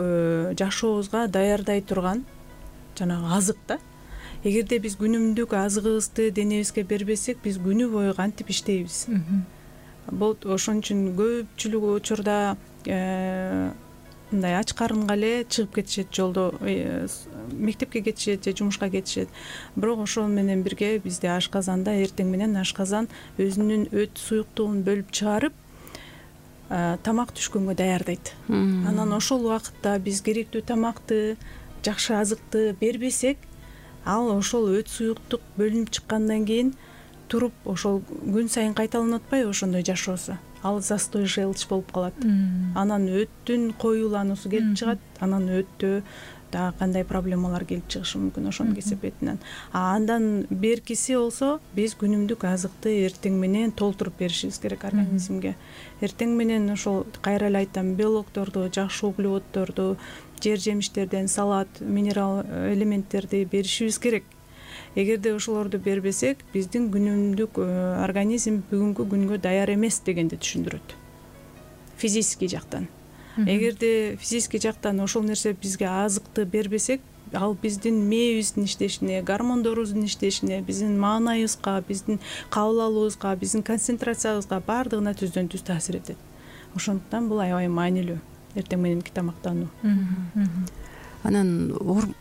жашообузга даярдай турган жанагы азык да. Эгерде биз күнүмдүк азыгыбызды денебизге бербесек, биз күнү бою кантип иштейбиз? Бул ошон үчүн көпчүлүк учурда мындай ач карынга эле чыгып кетишет, жолдо мектепке кетишет же жумушка кетишет. Бирок ошол менен бирге бизде ашказанда эртең менен ашказан өзүнүн өт суюктугун бөлүп чыгарып, тамак түшкөнгө даярдайт. Анан ошол убакытта биз керектүү тамакты, жакшы азыкты бербесек, ал ошол өт суюктук бөлүнүп чыккандан кийин туруп ошол күн сайын кайталанып атпайбы ошондой жашоосу? Ал застой желчь болуп калат. Анан өттүн коюлануусу келип чыгат, анан өттө дагы кандай проблемалар келип чыгышы мүмкүн ошонун кесепетинен. Андан беркиси болсо, биз күнүмдүк азыкты эртең менен толтуруп беришибиз керек организмге. Эртең менен ошол кайра эле айтам, белокторду, жакшы углеводдорду, жер жемиштерден, салат, минерал элементтерди беришибиз керек. Эгерде ошолорду бербесек, биздин күнүмдүк организм бүгүнкү күнгө даяр эмес дегенди түшүндүрөт. Физический жактан. Эгерде физический жактан ошол нерсе бизге азыкты бербесек, ал биздин мээбиздин иштешине, гормондорубуздун иштешине, биздин маанайыбызга, биздин кабыл алуубузга, биздин концентрациябызга баардыгына түздөн түз таасир этет. Ошондуктан бул аябай маанилүү эртең мененки тамактануу. Анан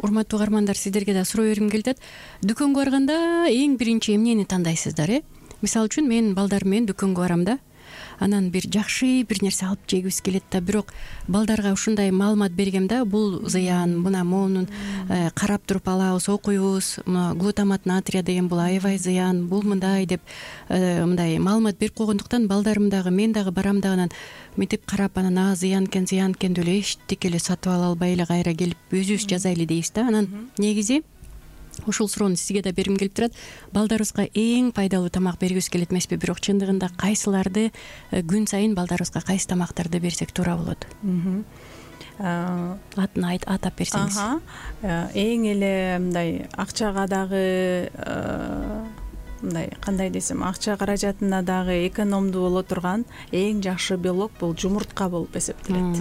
урматтуу угармандар, сиздерге да суроо бергим келип атат. Дүкөнгө барганда эң биринчи эмнени тандайсыздар? Мисалы үчүн мен балдарым менен дүкөнгө барам да. Анан бир жакшы бир нерсе алып жегибиз келет да, бирок балдарга ушундай маалымат бергем да, бул зыян, мына моунун карап туруп алабыз, окуйбуз, глутамат натрия деген бул аябай зыян, бул мындай деп мындай маалымат берип койгондуктан балдарым дагы, мен дагы барам да, анан мынтип карап, анан зыян экен деп эле эчтеке эле сатып ала албай эле кайра келип өзүбүз жазайлы дейбиз да. Анан негизи ушул суроону сизге да бергим келип турат. Балдарыбызга эң пайдалуу тамак бергибиз келет эмеспи? Бирок чындыгында кайсыларды күн сайын балдарыбызга кайсы тамактарды берсек туура болот? Атын атап берсеңиз. Эң эле мындай акчага дагы мындай кандай десем, акча каражатына дагы экономдуу боло турган эң жакшы белок бул жумуртка болуп эсептелет.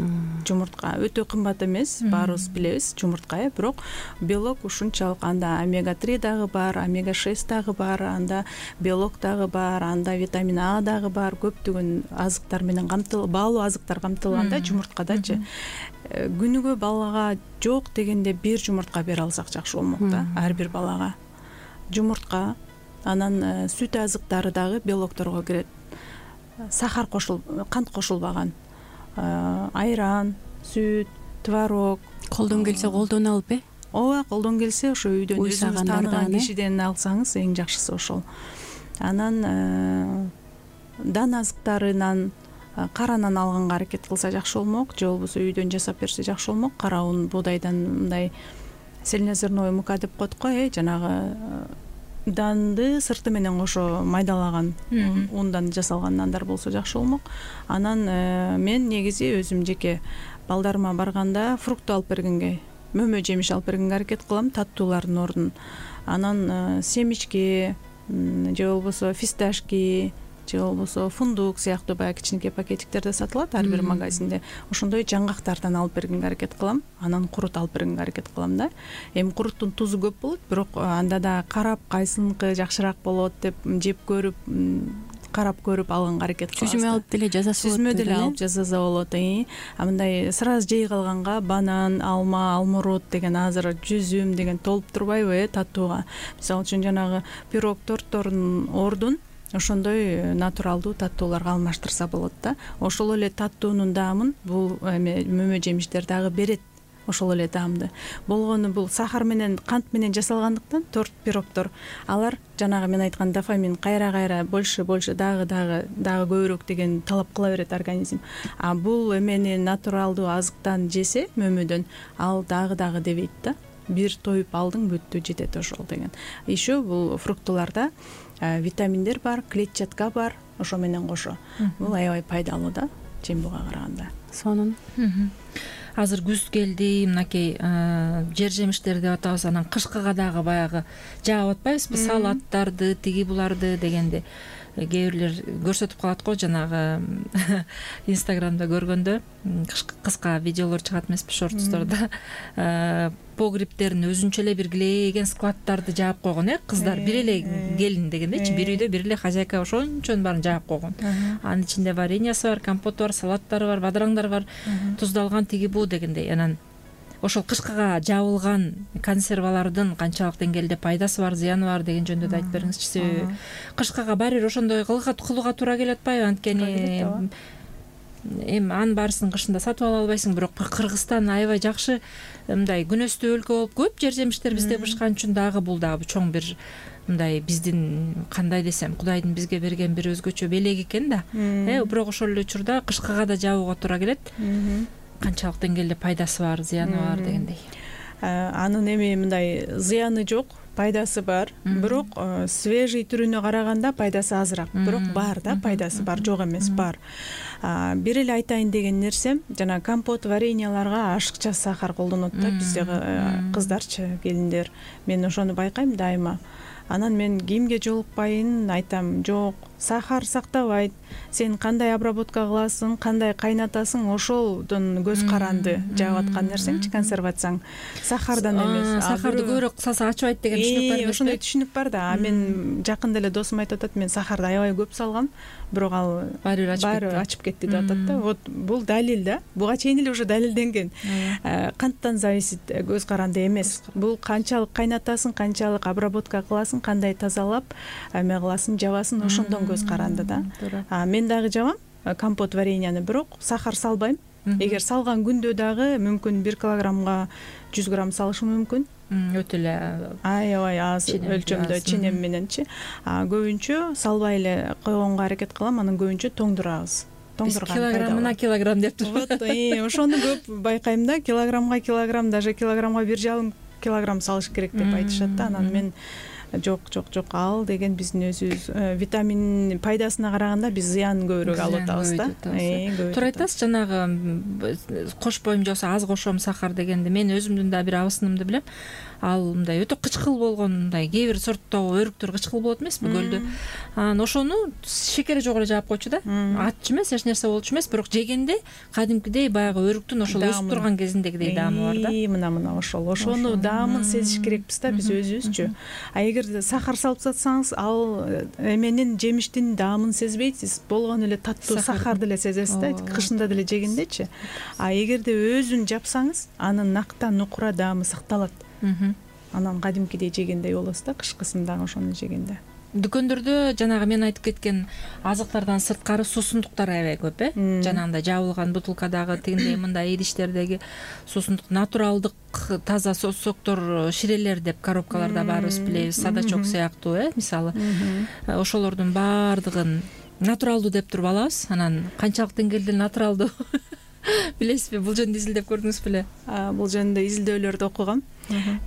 Жумуртка өтө кымбат эмес, баарыбыз билебиз жумуртка, бирок белок ушунчалык. Анда омега-3 дагы бар, омега-6 дагы бар, анда белок дагы бар, анда витамин А дагы бар, көптөгөн азыктар менен баалуу азыктар камтылган да жумурткадачы. Күнүгө балага жок дегенде бир жумуртка бере алсак жакшы болмок да, ар бир балага. Жумуртка, анан сүт азыктары дагы белокторго кирет. Сахар кант кошулбаган. Айран, сүт, творог. Колдон келсе колдон алып Ооба, колдон келсе ошо үйдөн өзүңүз тааныган кишиден алсаңыз эң жакшысы ошол. Анан дан азыктарынан, каранан алганга аракет кылса жакшы болмок, же болбосо үйдөн жасап берсе жакшы болмок. Кара ун, буудайдан мындай цельнозерновый мука деп коет го, жанагы данды сырты менен кошо майдалаган ундан жасалган нандар болсо жакшы болмок. Анан мен негизи өзүм жеке балдарыма барганда фрукт алып бергенге, мөмө жемиш алып бергенге аракет кылам, таттуулардын ордун. Анан семечки же болбосо фисташки, же болбосо фундук сыяктуу баягы кичинекей пакетиктерде сатылат ар бир магазинде. Ошондой жаңгактардан алып бергенге аракет кылам, анан курут алып бергенге аракет кылам да. Эми куруттун тузу көп болот, бирок анда да карап кайсыныкы жакшыраак болот деп жеп көрүп, карап көрүп алганга аракет кылабыз. Сүзмө алып деле жазаса болот. Сүзмө деле алып жазаса болот. А мындай сразу жей калганга банан, алма, алмурут деген азыр жүзүм деген толуп турбайбы таттууга. Мисалы үчүн жанагы пирог, торттордун ордун ошондой натуралдуу таттууларга алмаштырса болот да. Ошол эле таттуунун даамын бул мөмө жемиштер дагы берет. Ошол эле даамды. Болгону бул сахар менен, кант менен жасалгандыктан торт, пирогдор алар жанагы мен айткан дофамин кайра больше дагы көбүрөөк деген талап кыла берет организм. А бул эмени натуралдуу азыктан жесе мөмөдөн ал дагы дебейт да. Бир тоюп алдың бүттү, жетет ошол деген. Еще бул фруктуларда витаминдер бар, клетчатка бар, ошо менен кошо. Бул аябай пайдалуу да, жембуга караганда. Сонун. Азыр күз келди, мынакей жер жемиштерди деп атабыз, анан кышкыга дагы баягы жаап атпайбызбы, салаттарды, тиги буларды дегенде. Кээ бирлер көрсөтүп калат го, жанагы Инстаграмда көргөндө кыска видеолор чыгат эмеспи, шортстордо. Погребтерин өзүнчө эле бир килейген складтарды жаап койгон, кыздар бир эле келин дегендейчи, бир үйдө бир эле хозяйка ошончонун баарын жаап койгон. Анын ичинде вареньясы бар, компоту бар, салаттары бар, бадыраңдары бар, туздалган тиги бу дегендей. Анан ошол кышкыга жабылган консервалардын канчалык деңгээлде пайдасы бар, зыяны бар деген жөнүндө да айтып бериңизчи. Себеби кышкыга баары бир ошондой кылууга туура келип атпайбы? Анткени эми анын баарысын кышында сатып ала албайсың, бирок Кыргызстан аябай жакшы мындай күнөстүү өлкө болуп, көп жер жемиштер бизде бышкан үчүн дагы бул дагы чоң бир мындай биздин кандай десем, Кудайдын бизге берген бир өзгөчө белеги экен да. Бирок ошол эле учурда кышкыга да жабууга туура келет. Канчалык деңгээлде пайдасы бар, зыяны бар дегендей. Анын эми мындай зыяны жок, пайдасы бар. Бирок свежий түрүнө караганда пайдасы азыраак. Бирок бар да, пайдасы бар, жок эмес, бар. Бир эле айтайын деген нерсем, жана компот, вареньяларга ашыкча сахар колдонот да бизде кыздарчы, келиндер. Мен ошону байкайм дайыма. Анан мен кимге жолукпайын айтам, жок, сахар сактабайт. Сен кандай обработка кыласың, кандай кайнатасың, ошолдон көз каранды жаап аткан нерсеңчи, консервацияң. Сахардан эмес. Сахарды көбүрөөк салса ачыбайт деген түшүнүк бар эмес. Ошондой түшүнүк бар да. Мен жакында эле досум айтып атат, мен сахарды аябай көп салгам, бирок ал баары ачып кетти деп атат да. Вот бул далил да. Буга чейин эле уже далилденген. Канттан зависит, көз каранды эмес. Бул канчалык кайнатасың, канчалык обработка кыласың, кандай тазалап, эме кыласың, жабасың, ошондон көз каранды да. Мен дагы жабам компот, вареньяны, бирок сахар салбайм. Эгер салган күндө дагы мүмкүн 1 килограммга 100 грамм салышым мүмкүн. Өтө эле аябай аз өлчөмдө ченем мененчи. Көбүнчө салбай эле койгонго аракет кылам, анан көбүнчө тоңдурабыз. Килограммына килограмм деп турат. Ошону көп байкайм да, килограммга, даже килограммга 1,5 килограмм салыш керек деп айтышат да. Анан мен жок, ал деген биздин өзүбүз витамин пайдасына караганда биз зыянын көбүрөөк алып атабыз да. Туура айтасыз, жанагы кошпойм же болбосо аз кошом сахар дегенде мен өзүмдүн да бир абысынымды билем. Ал мындай өтө кычкыл болгон, мындай кээ бир сорттогу өрүктөр кычкыл болот эмеспи көлдө. Анан ошону шекери жок эле жаап койчу да. Аччы эмес, эч нерсе болчу эмес, бирок жегенде кадимкидей баягы өрүктүн ошол өсүп турган кезиндегидей даамы бар да. Мына ошону даамын сезиш керекпиз да биз өзүбүзчү. А эгер сахар салып сатсаңыз, ал эменин, жемиштин даамын сезбейсиз, болгону эле таттуу сахарды эле сезесиз да, кышында деле жегендечи. А эгерде өзүн жапсаңыз, анын нактан нукура даамы сакталат. Анан кадимкидей жегендей болосуз да, кышкысында ошону жегенде. Дүкөндөрдө жанагы мен айтып кеткен азыктардан сырткары суусундуктар аябай көп, жанагындай жабылган бутылкадагы тигиндей мындай идиштердеги суусундук, натуралдык таза соктор, ширелер деп коробкаларда баарыбыз билебиз, садачок сыяктуу, мисалы. Ошолордун баардыгын натуралдуу деп туруп алабыз. Анан канчалык деңгээлде натуралдуу билесизби? Бул жөнүндө изилдеп көрдүңүз беле? Бул жөнүндө изилдөөлөрдү окугам.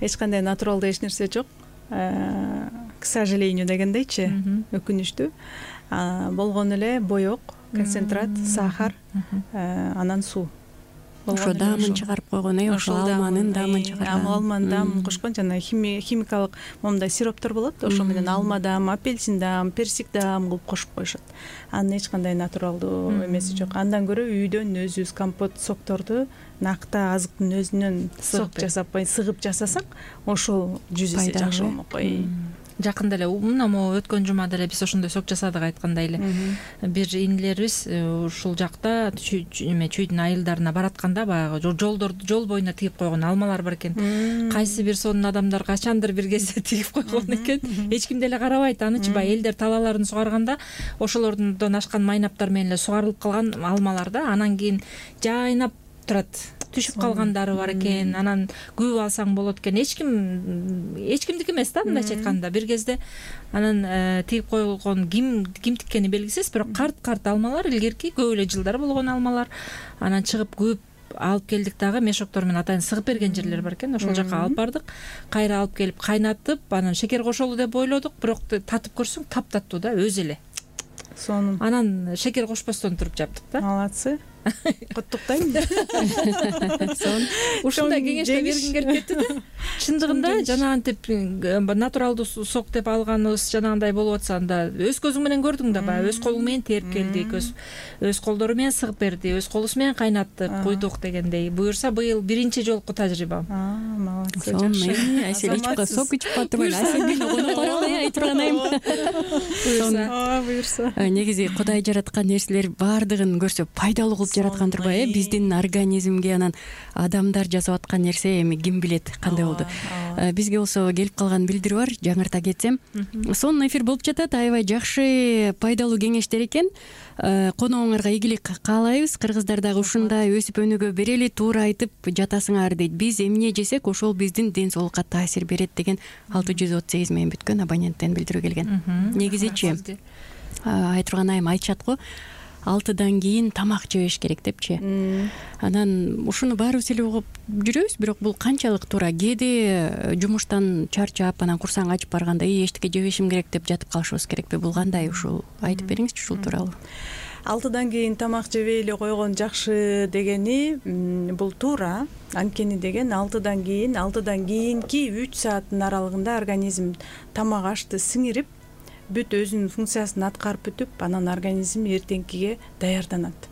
Эч кандай натуралдуу эч нерсе жок. К сожалению дегендейчи, өкүнүчтүү. Болгону эле боек, концентрат, сахар, анан суу. ошо даамын чыгарып койгон, ошо алманын даамын чыгарган. Алманын даамын кошкон жана химикалык моундай сироптор болот, ошо менен алма даам, апельсин даам, персик даам кылып кошуп коюшат. Анын эч кандай натуралдуу эмеси жок. Андан көрө үйдөн өзүбүз компот, сокторду накта азыктын өзүнөн сок жасап, сыгып жасасак, ошол 100 эсе жакшы болмок. Жакында эле мына могу өткөн жумада эле биз ошондой сок жасадык айткандай эле. Бир инилерибиз ушул жакта чүйдүн айылдарына баратканда баягы жол боюна тигип койгон алмалар бар экен. Кайсы бир сонун адамдар качандыр бир кезде тигип койгон экен. Эч ким деле карабайт анычы. Баягы элдер талаларын сугарганда ошолордон ашкан майнаптар менен эле сугарылып калган алмалар да. Анан кийин жайнап турат. Түшүп калгандары бар экен. Анан күбө алсаң болот экен. Эч кимдики эмес да, мындайча айтканда. Бир кезде анан тигип койгон ким тиккени белгисиз, бирок карт алмалар, илгерки көп эле жылдар болгон алмалар. Анан чыгып көп алып келдик дагы, мешоктор менен атайын сыгып берген жерлер бар экен. Ошол жака алып бардык. Кайра алып келип кайнатып, анан шекер кошолу деп ойлодук, бирок татып көрсөң таптаттуу да, өзү эле. Сонун. Анан шекер кошпостон туруп жаптык да. Молодцы. Куттуктайм. Ушундай кеңешти бергим келип кетти да. Чындыгында жанагынтип натуралдуу сок деп алганыбыз жанагындай болуп атса, анда өз көзүң менен көрдүң да, баягы өз колуң менен терип келдик, өз колдору менен сыгып берди, өз колубуз менен кайнаттык, куйдук дегендей. Буюрса быйыл биринчи жолку тажрыйбам. Молодцы, жакшы. Айсель ичип сок ичип атырбайм. Айсель коноктору айтып турганайым. Буюрса. Негизи Кудай жараткан нерселер баардыгын көрсө пайдалуу кылып жараткан турбайбы? Биздин организмге анан адамдар жасап аткан нерсе эми ким билет кандай болду. Бизге болсо келип калган билдирүү бар, жаңырта кетсем. Сонун эфир болуп жатат, аябай жакшы пайдалуу кеңештер экен. Коногуңарга ийгилик каалайбыз. Кыргыздар дагы ушундай өсүп өнүгө берели, туура айтып жатасыңар дейт. Биз эмне жесек, ошол биздин ден соолукка таасир берет деген 638 менен бүткөн абоненттен билдирүү келген. Негизичи айтырган айым айтышат го, 6-дан кийин тамак жебеш керек депчи. Анан ушуну баарыбыз эле угуп жүрөбүз, бирок бул канчалык туура? Кээде жумуштан чарчап, анан курсаң ачып барганда эчтеке жебешим керек деп жатып калышыбыз керекпи? Бул кандай? Ушул айтып бериңизчи ушул тууралуу. 6-дан кийин тамак жебей эле койгон жакшы дегени бул туура. Анткени деген 6-дан кийинки 3 сааттын аралыгында организм тамак ашты сиңирип, бүт өзүнүн функциясын аткарып бүтүп, анан организм эртеңкиге даярданат.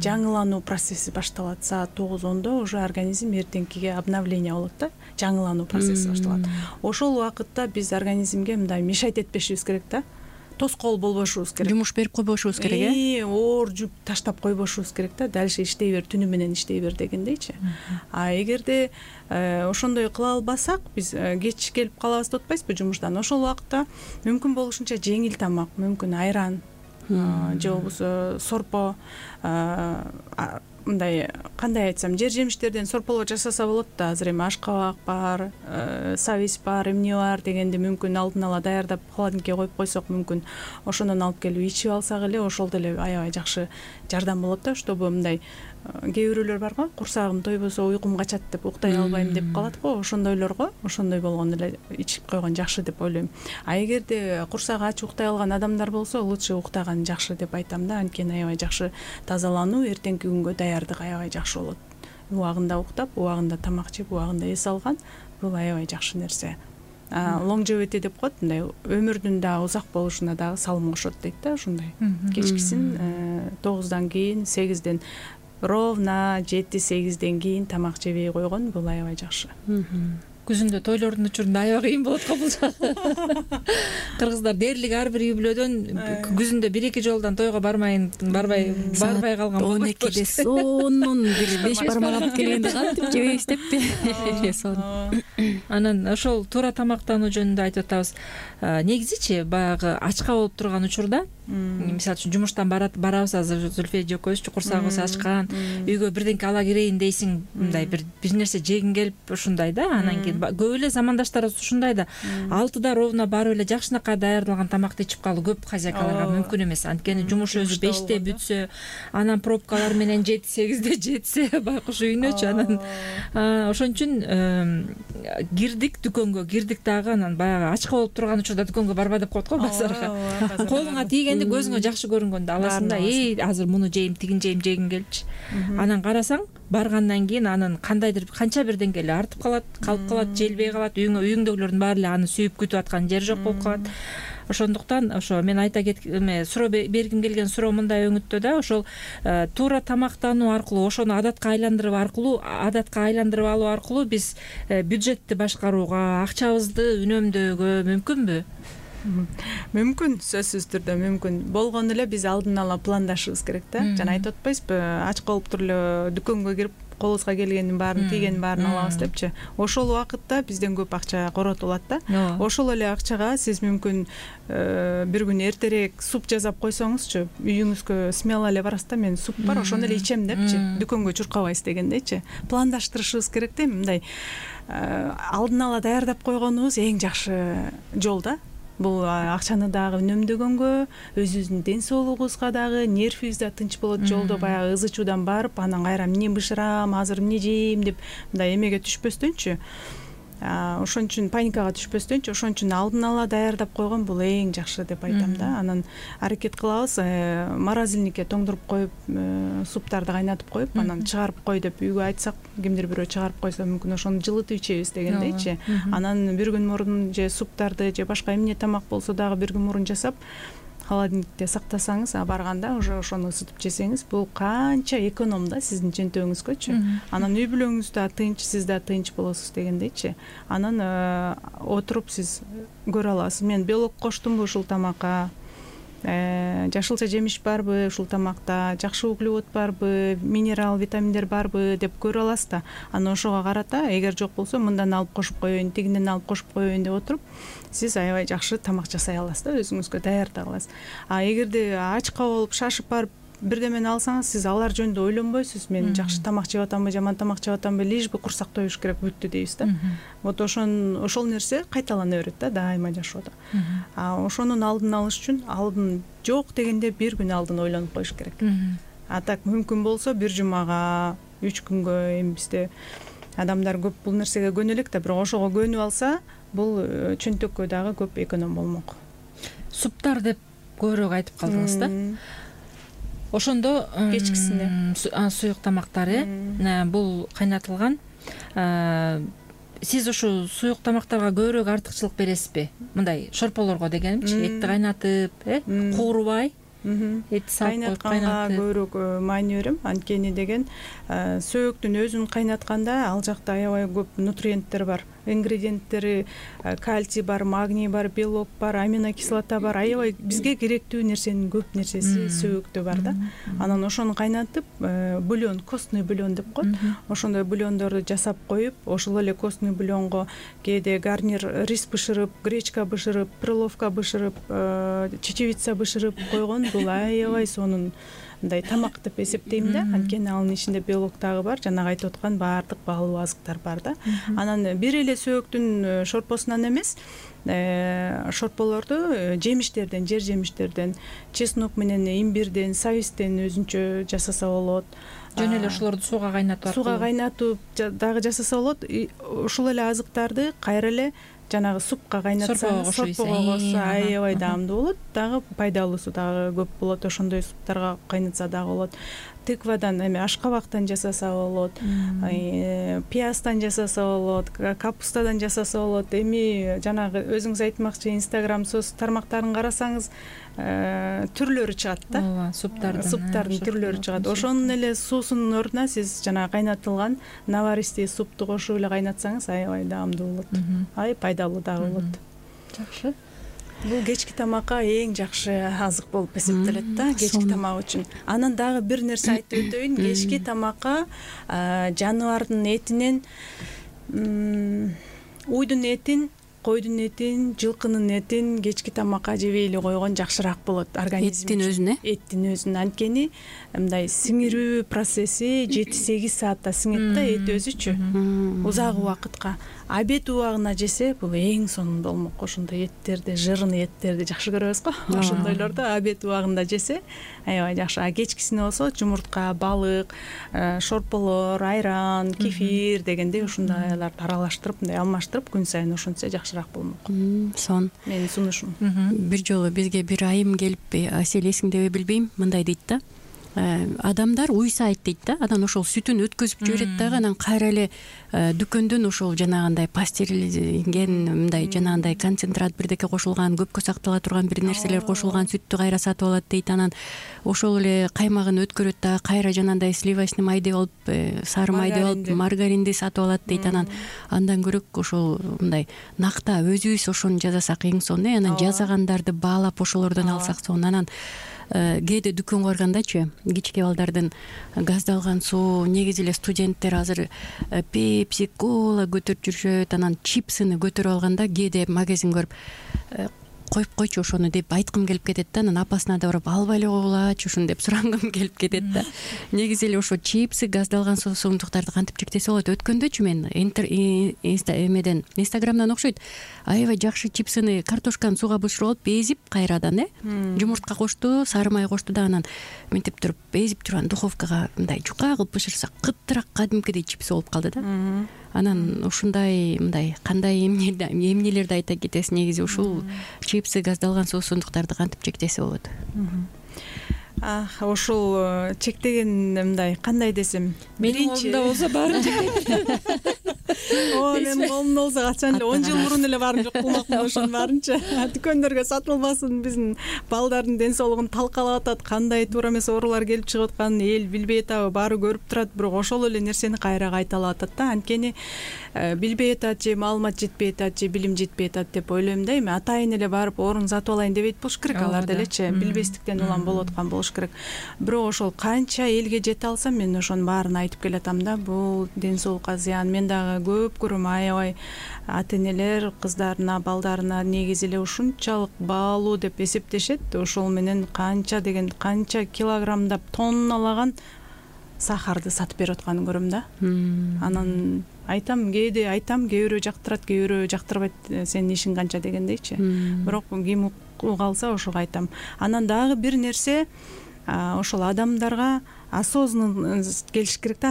Жаңылануу процесси башталат. Саат 9-10 уже организм эртеңкиге обновление болот да, жаңылануу процесси башталат. Ошол убакытта биз организмге мындай мешать этпешибиз керек да. Тоскоол болбошубуз керек. Жумуш берип койбошубуз керек, оор жүк таштап койбошубуз керек да. Дальше иштей бер, түнү менен иштей бер дегендейчи. Эгерде ошондой кыла албасак, биз кеч келип калабыз деп атпайсызбы жумуштан. Ошол убакытта мүмкүн болушунча жеңил тамак, мүмкүн айран же болбосо сорпо, мындай кандай айтсам, жер жемиштерден сорполор жасаса болот да. Азыр эми ашкабак бар, сабиз бар, эмне бар дегенди мүмкүн алдын ала даярдап холодильникке коюп койсок, мүмкүн ошондон алып келип ичип алсак эле ошол деле аябай жакшы жардам болот да. Чтобы мындай кээ бирөөлөр бар го, курсагым тойбосо уйкум качат деп уктай албайм деп калат го, ошондойлорго ошондой болгондо эле ичип койгон жакшы деп ойлойм. Эгерде курсагы ач уктай алган адамдар болсо, лучше уктаган жакшы деп айтам да. Анткени аябай жакшы тазалануу, эртеңки күнгө даярдык аябай жакшы болот. Убагында уктап, убагында тамак жеп, убагында эс алган, бул аябай жакшы нерсе. Longevity деп коет, мындай өмүрдүн да узак болушуна дагы салым кошот дейт да. Ушундай кечкисин 9-дан кийин 8-ден ровно 7-8-ден кийин тамак жебей койгон бул аябай жакшы. Күзүндө тойлордун учурунда аябай кыйын болот го бул. Кыргыздар дээрлик ар бир үй бүлөдөн күзүндө 1-2 жолдон тойго барбай калган болот. 12-де сонун бир 5 бармак алып келгенде кантип жебейбиз деппи? Анан ошол туура тамактануу жөнүндө айтып атабыз. Негизичи баягы ачка болуп турган учурда, мисалы үчүн жумуштан барабыз, азыр Зүлфия экөөбүз чукурсагыбыз ачкан, үйгө бирденке ала кирейин дейсиң, мындай бир нерсе жегиң келип ушундай да. Анан кийин көп эле замандаштарыбыз ушундай да. 6-да ровно барып эле жакшынакай даярдалган тамакты ичип калуу көп хозяйкаларга мүмкүн эмес. Анткени жумуш өзү 5-те бүтсө, анан пробкалар менен 7-8-де жетсе, байкуш үйүнөчү. Анан ошон үчүн кирдик дүкөнгө, кирдик дагы, анан баягы ачка болуп турган учурда дүкөнгө барба деп коет го базарга. Колуңа тийген кийинде көзүңө жакшы көрүнгөндө аласың да, азыр муну жейм, тигин жейм, жегиң келчи. Анан карасаң, баргандан кийин анын кандайдыр канча бир деңгээлде артып калат, калып калат, желбей калат, үйүңдөгүлөрдүн баары эле аны сүйүп күтүп аткан жери жок болуп калат. Ошондуктан ошо мен айта суроо бергим келген суроо мындай өңүттө да, ошол туура тамактануу аркылуу, ошону адатка айландырып алуу аркылуу биз бюджетти башкарууга, акчабызды үнөмдөөгө мүмкүнбү? Мүмкүн, сөзсүз түрдө мүмкүн. Болгону эле биз алдын ала пландашыбыз керек да. Жана айтып атпайсызбы, ач калып туруп эле дүкөнгө кирип колубузга келгендин баарын, тийгендин баарын алабыз депчи. Ошол убакытта бизден көп акча коротулат да. Ошол эле акчага сиз мүмкүн бир күн эртерээк суп жасап койсоңузчу, үйүңүзгө смело эле барасыз да, мен суп бар, ошону эле ичем депчи, дүкөнгө чуркабайсыз дегендейчи. Пландаштырышыбыз керек да, мындай алдын ала даярдап койгонубуз эң жакшы жол да. Бул акчаны дагы үнөмдөгөнгө, өзүбүздүн ден соолугубузга дагы, нервибиз да тынч болот, жолдо баягы ызы чуудан барып, анан кайра эмне бышырам, азыр эмне жейм деп мындай эмеге түшпөстөнчү, ошон үчүн паникага түшпөстөнчү, ошон үчүн алдын ала даярдап койгон бул эң жакшы деп айтам да. Анан аракет кылабыз, морозильникке тоңдуруп коюп, суптарды кайнатып коюп, анан чыгарып кой деп үйгө айтсак, кимдир бирөө чыгарып койсо мүмкүн ошону жылытып ичебиз дегендейчи. Анан бир күн мурун же суптарды же башка эмне тамак болсо дагы бир күн мурун жасап, холодильникте сактасаңыз, барганда уже ошону ысытып жесеңиз, бул канча эконом да сиздин чөнтөгүңүзгөчү. Анан үй бүлөңүз да тынч, сиз да тынч болосуз дегендейчи. Анан отуруп сиз көрө аласыз. Мен белок коштумбу ушул тамакка, жашылча жемиш барбы ушул тамакта, жакшы углевод барбы, минерал, витаминдер барбы деп көрө аласыз да. Анан ошого карата, эгер жок болсо мындан алып кошуп коеюн, тигинден алып кошуп коеюн деп отуруп, сиз аябай жакшы тамак жасай аласыз да, өзүңүзгө даярдай аласыз. Эгерде ачка болуп, шашып барып бирдемени алсаңыз, сиз алар жөнүндө ойлонбойсуз. Мен жакшы тамак жеп атамбы, жаман тамак жеп атамбы, лишь бы курсак тоюш керек, бүттү дейбиз да. Вот ошол нерсе кайталана берет да дайыма жашоодо. Ошонун алдын алыш үчүн алдын жок дегенде бир күн алдын ойлонуп коюш керек. Так мүмкүн болсо бир жумага, 3 күнгө, эми бизде адамдар көп бул нерсеге көнө элек да, бирок ошого көнүп алса, бул чөнтөккө дагы көп эконом болмок. Суптар деп көбүрөөк айтып калдыңыз да. Ошондо кечкисине суюк тамактар, бул кайнатылган. Сиз ушул суюк тамактарга көбүрөөк артыкчылык бересизби? Мындай шорполорго дегенимчи, этти кайнатып, куурубай, эти салып коюп кайнатып көбүрөөк маани берем. Анткени деген сөөгүктүн өзүн кайнатканда ал жакта аябай көп нутриенттер бар. Ингредиенттери кальций бар, магний бар, белок бар, аминокислота бар. Аябай бизге керектүү нерсенин көп нерсеси сөөгүктө бар да. Анан ошону кайнатып, бульон, костный бульон деп коет. Ошондой бульондорду жасап коюп, ошол эле костный бульонго кээде гарнир рис бышырып, гречка бышырып, перловка бышырып, чечевица бышырып койгон, бул аябай сонун мындай тамак деп эсептейм да. Анткени анын ичинде белок дагы бар, жанагы айтып аткан баардык баалуу азыктар бар да. Анан бир эле сөөгүктүн шорпосунан эмес, шорполорду жемиштерден, жер жемиштерден, чеснок менен имбирден, савистен өзүнчө жасаса болот. Жөн эле ошолорду сууга кайнатып дагы жасаса болот. Ушул эле азыктарды кайра эле жанагы супка кайнатсаңыз, сорпого кошсо аябай даамдуу болот. Дагы пайдалуусу дагы көп болот. Ошондой суптарга кайнатса дагы болот. Тыквадан, эми ашкабактан жасаса болот, пиязддан жасаса болот, капустадан жасаса болот. Эми жанагы өзүңүз айтмакчы, Instagram тармактарын карасаңыз, түрлөрү чыгат да. Ооба, суптардын түрлөрү чыгат. Ошонун эле суусунун ордуна сиз жанагы кайнатылган наваристый супту кошуп эле кайнатсаңыз аябай даамдуу болот. Аябай пайдалуу дагы болот. Жакшы. Бул кечки тамакка эң жакшы азык болуп эсептелет да, кечки тамак үчүн. Анан дагы бир нерсе айтып өтөйүн. Кечки тамакка жаныбардын этинен, уйдун этин, койдун этин, жылкынын этин кечки тамакка жебей эле койгон жакшыраак болот организм. Эттин өзүн. Анткени мындай сиңирүү процесси 7-8 саатта сиңет да эт өзүчү. Узак убакытка. обед убагына жесе бул эң сонун болмок. Ошондой эттерди, жирный эттерди жакшы көрөбүз го. Ошондойлорду обед убагында жесе аябай жакшы. А кечкисине болсо жумуртка, балык, шорполор, айран, кефир дегендей ушундайларды аралаштырып, мындай алмаштырып күн сайын ошентсе жакшыраак болмок. Сон. Менин сунушум. Бир жолу бизге бир айым келип, Асель эсиңдеби билбейм, мындай дейт да. Адамдар уйсайт дейт да, анан ошол сүтүн өткөзүп жиберет дагы, анан кайра эле дүкөндөн ошол жанагындай пастеризген, мындай жанагындай концентрат бирдеке кошулган, көпкө сактала турган бир нерселер кошулган сүттү кайра сатып алат дейт. Анан ошол эле каймагын өткөрөт дагы, кайра жанагындай сливочный май деп алып, сары май деп алып, маргаринди сатып алат дейт. Анан андан көрөк ошол мындай накта өзүбүз ошону жасасак эң сонун. Анан жасагандарды баалап ошолордон алсак сонун. Анан кээде дүкөнгө баргандачы, кичке балдардын газдалган суу, негизи эле студенттер азыр пепси, кола көтөрүп жүрүшөт, анан чипсыны көтөрүп алганда кээде магазин көрүп коюп койчу ошону деп айткым келип кетет да. Анан апасына да барып албай эле койгулачы ушуну деп сурангым келип кетет да. Негизи эле ошо чипсы, газдалган суумдуктарды кантип чектесе болот? Өткөндөчү мен эмеден Инстаграмдан окшойт, аябай жакшы чипсыны, картошканы сууга бышырып алып эзип кайрадан жумуртка кошту, сары май кошту да, анан мынтип туруп эзип турган духовкага мындай жука кылып бышырса кыттыраак кадимкидей чипс болуп калды да. Анан ушундай мындай кандай эмнелерди айта кетесиз? Негизи ушул чипсы, газдалган суусундуктарды кантип чектесе болот? Ошол чектеген мындай кандай десем, менин колумда болсо баарын чектейт. Менин колумда болсо качан эле 10 жыл мурун эле баарын жок кылмакмын ошонун баарынчы. Дүкөндөргө сатылбасын, биздин балдардын ден соолугун талкалап атат, кандай туура эмес оорулар келип чыгып атканын эл билбей атабы, баары көрүп турат, бирок ошол эле нерсени кайра кайталап атат да. Анткени билбей атат же маалымат жетпей атат же билим жетпей атат деп ойлойм да. Эми атайын эле барып орун сатып алайын дебейт болуш керек алар делечи, билбестиктен улам болуп аткан болуш керек. Бирок ошол канча элге жете алсам мен ошонун баарын айтып келатам да. Бул ден соолукка зыян. Мен дагы көп көрөм, аябай ата энелер кыздарына, балдарына негизи эле ушунчалык баалуу деп эсептешет. Ошол менен канча килограммдап, тонналаган сахарды сатып берип атканын көрөм да. Анан айтам, кээ бирөө жактырат, кээ бирөө жактырбайт, сенин ишиң канча дегендейчи. Бирок ким уга алса ошого айтам. Анан дагы бир нерсе, ошол адамдарга осознанность келиш керек да,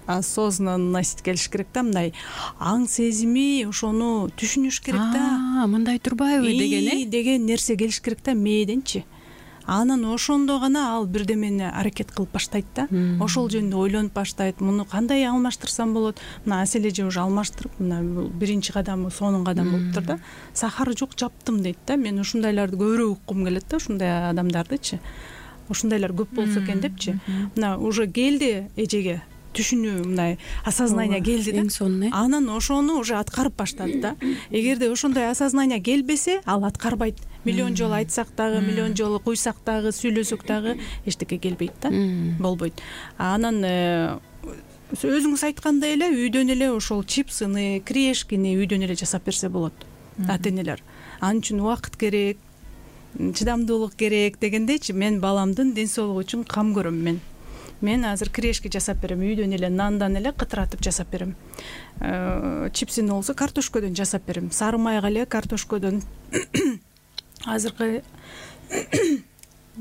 осознанность келиш керек да, мындай аң сезими, ошону түшүнүш керек да. Мындай турбайбы деген нерсе келиш керек да мээденчи. Анан ошондо гана ал бирдемени аракет кылып баштайт да. Ошол жөнүндө ойлонуп баштайт. Муну кандай алмаштырсам болот? Мына Асель эже уже алмаштырып, мына биринчи кадамы, сонун кадам болуптур да. Сахар жок, жаптым дейт да. Мен ушундайларды көбүрөөк уккум келет да, ушундай адамдардычы. Ушундайлар көп болсо экен депчи. Мына уже келди эжеге түшүнүү, мындай осознание келди да. Анан ошону уже аткарып баштады да. Эгерде ошондой осознание келбесе, ал аткарбайт. Миллион жолу айтсак дагы, миллион жолу куйсак дагы, сүйлөсөк дагы эчтеке келбейт да, болбойт. Анан өзүңүз айткандай эле үйдөн эле ошол чипсыны, крешкини үйдөн эле жасап берсе болот ата энелер. Ал үчүн убакыт керек, чыдамдуулук керек дегендейчи. Мен баламдын ден соолугу үчүн кам көрөм. Мен азыр крешки жасап берем, үйдөн эле нандан эле кытыратып жасап берем. Чипсини болсо картошкодон жасап берем, сары майга эле картошкодон. Азыркы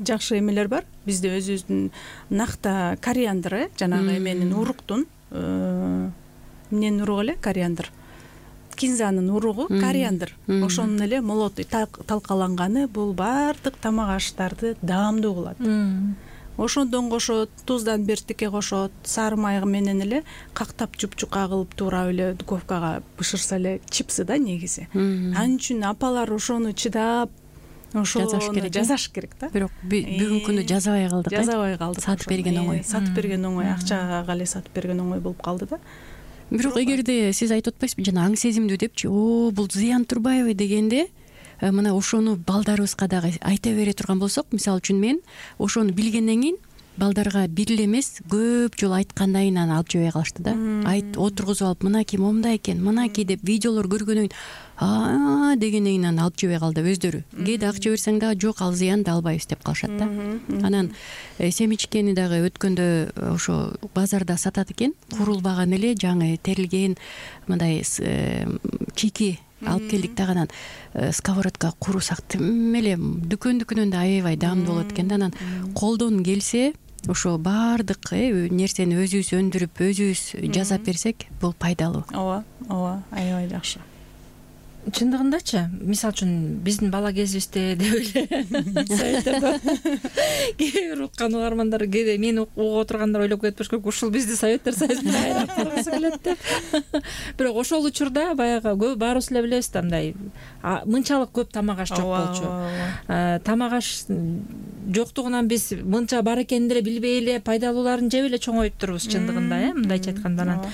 жакшы эмелер бар. Бизде өзүбүздүн накта кориандр, жанагы эменин уруктун, эмненин уругу эле кориандр. Кинзанын уругу кориандр. Ошонун эле молоту талкаланганы бул баардык тамак аштарды даамдуу кылат. Ошондон кошот, туздан бертикке кошот, сары май менен эле кактап жупчука кылып туура эле духовкага бышырса эле чипсы да негизи. Ал үчүн апалар ошону чыдап жасаш керек да. Бирок бүгүнкү күндө жазабай калдык. Сатып берген оңой, акчага эле сатып берген оңой болуп калды да. Бирок эгерде сиз айтып атпайсызбы, жана аң сезимдүү депчи, бул зыян турбайбы дегенде, мына ошону балдарыбызга дагы айта бере турган болсок, мисалы үчүн мен ошону билгенден кийин балдарга бир эле эмес көп жолу айткандан кийин аны алып жебей калышты да. Отургузуп алып мынакей момундай экен, мынакей деп видеолор көргөндөн кийин дегенден кийин аны алып жебей калды өздөрү. Кээде акча берсең дагы жок, ал зыян да албайбыз деп калышат да. Анан семечкени дагы өткөндө ошо базарда сатат экен, курулбаган эле жаңы терилген мындай чийки алып келдик дагы, анан сковородка куурусак тим эле дүкөндүкүнөн да аябай даамдуу болот экен да. Анан колдон келсе ошо баардык нерсени өзүбүз өндүрүп, өзүбүз жасап берсек, бул пайдалуу. ооба, аябай жакшы. Чындыгындачы, мисалы үчүн биздин бала кезибизде деп эле советтерде кээ бир уккан угармандар, кээде мени угуп отургандар ойлоп кетпеш керек, ушул бизди советтер союзуна кайра кургусу келет деп. Бирок ошол учурда баягы баарыбыз эле билебиз да, мындай мынчалык көп тамак аш жок болчу. Тамак аш жоктугунан биз мынча бар экенин деле билбей эле, пайдалууларын жеп эле чоңоюп турбуз чындыгында, мындайча айтканда. Анан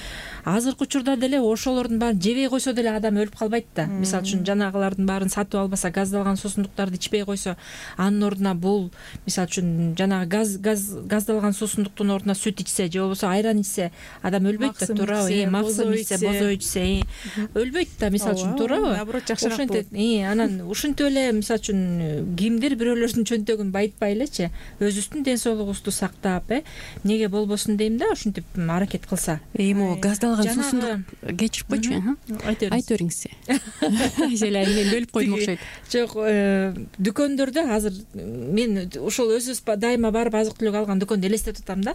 азыркы учурда деле ошолордун баарын жебей койсо деле адам өлүп калбайт да. Мисалы үчүн жанагылардын баарын сатып албаса, газдалган суусундуктарды ичпей койсо, анын ордуна бул мисалы үчүн жанагы газдалган суусундуктун ордуна сүт ичсе же болбосо айран ичсе, адам өлбөйт да, туурабы? Максым ичсе, бозой ичсе өлбөйт да, мисалы үчүн, туурабы? Наоборот, жакшыраак болот. Анан ушинтип эле мисалы үчүн кимдир бирөөлөрдүн чөнтөгүн байытпай элечи, өзүбүздүн ден соолугубузду сактап, эмнеге болбосун дейм да, ушинтип аракет кылса. Могу газдалган суусундук кечирип койчу. Айта бериңиз. Айселе мен бөлүп койдум окшойт. Жок, дүкөндөрдө азыр мен ошол өзүбүз дайыма барып азык түлүк алган дүкөндү элестетип атам да.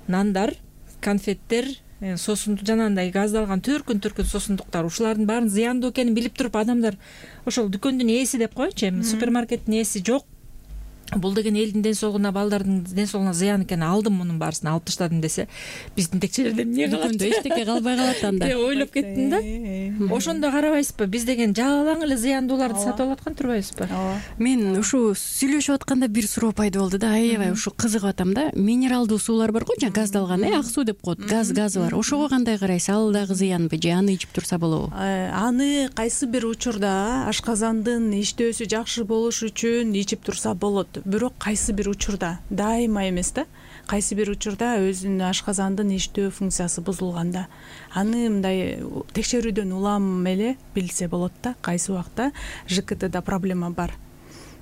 Нандар, конфеттер, соосундук жанагындай газдалган түркүн соосундуктар, ушулардын баарын зыяндуу экенин билип туруп адамдар ошол дүкөндүн ээси деп коечу, супермаркеттин ээси жок, бул деген элдин ден соолугуна, балдардын ден соолугуна зыян экенин алдым, мунун баарысын алып таштадым десе, биздин текчелерде эмне калат? Дүкөндө эчтеке калбай калат анда деп ойлоп кеттим да. Ошондо карабайсызбы, биз деген жалаң эле зыяндууларды сатып алып аткан турбайбызбы? Мен ушу сүйлөшүп атканда бир суроо пайда болду да, аябай ушу кызыгып атам да. Минералдуу суулар бар го, жаңы газдалган, ак суу деп коет, газы бар. Ошого кандай карайсыз? Ал дагы зыянбы же аны ичип турса болобу? Аны кайсы бир учурда ашказандын иштөөсү жакшы болуш үчүн ичип турса болот. Бирок кайсы бир учурда, дайыма эмес да, кайсы бир учурда өзүнүн ашказандын иштөө функциясы бузулганда аны мындай текшерүүдөн улам эле билсе болот да. Кайсы убакта ЖКТда проблема бар,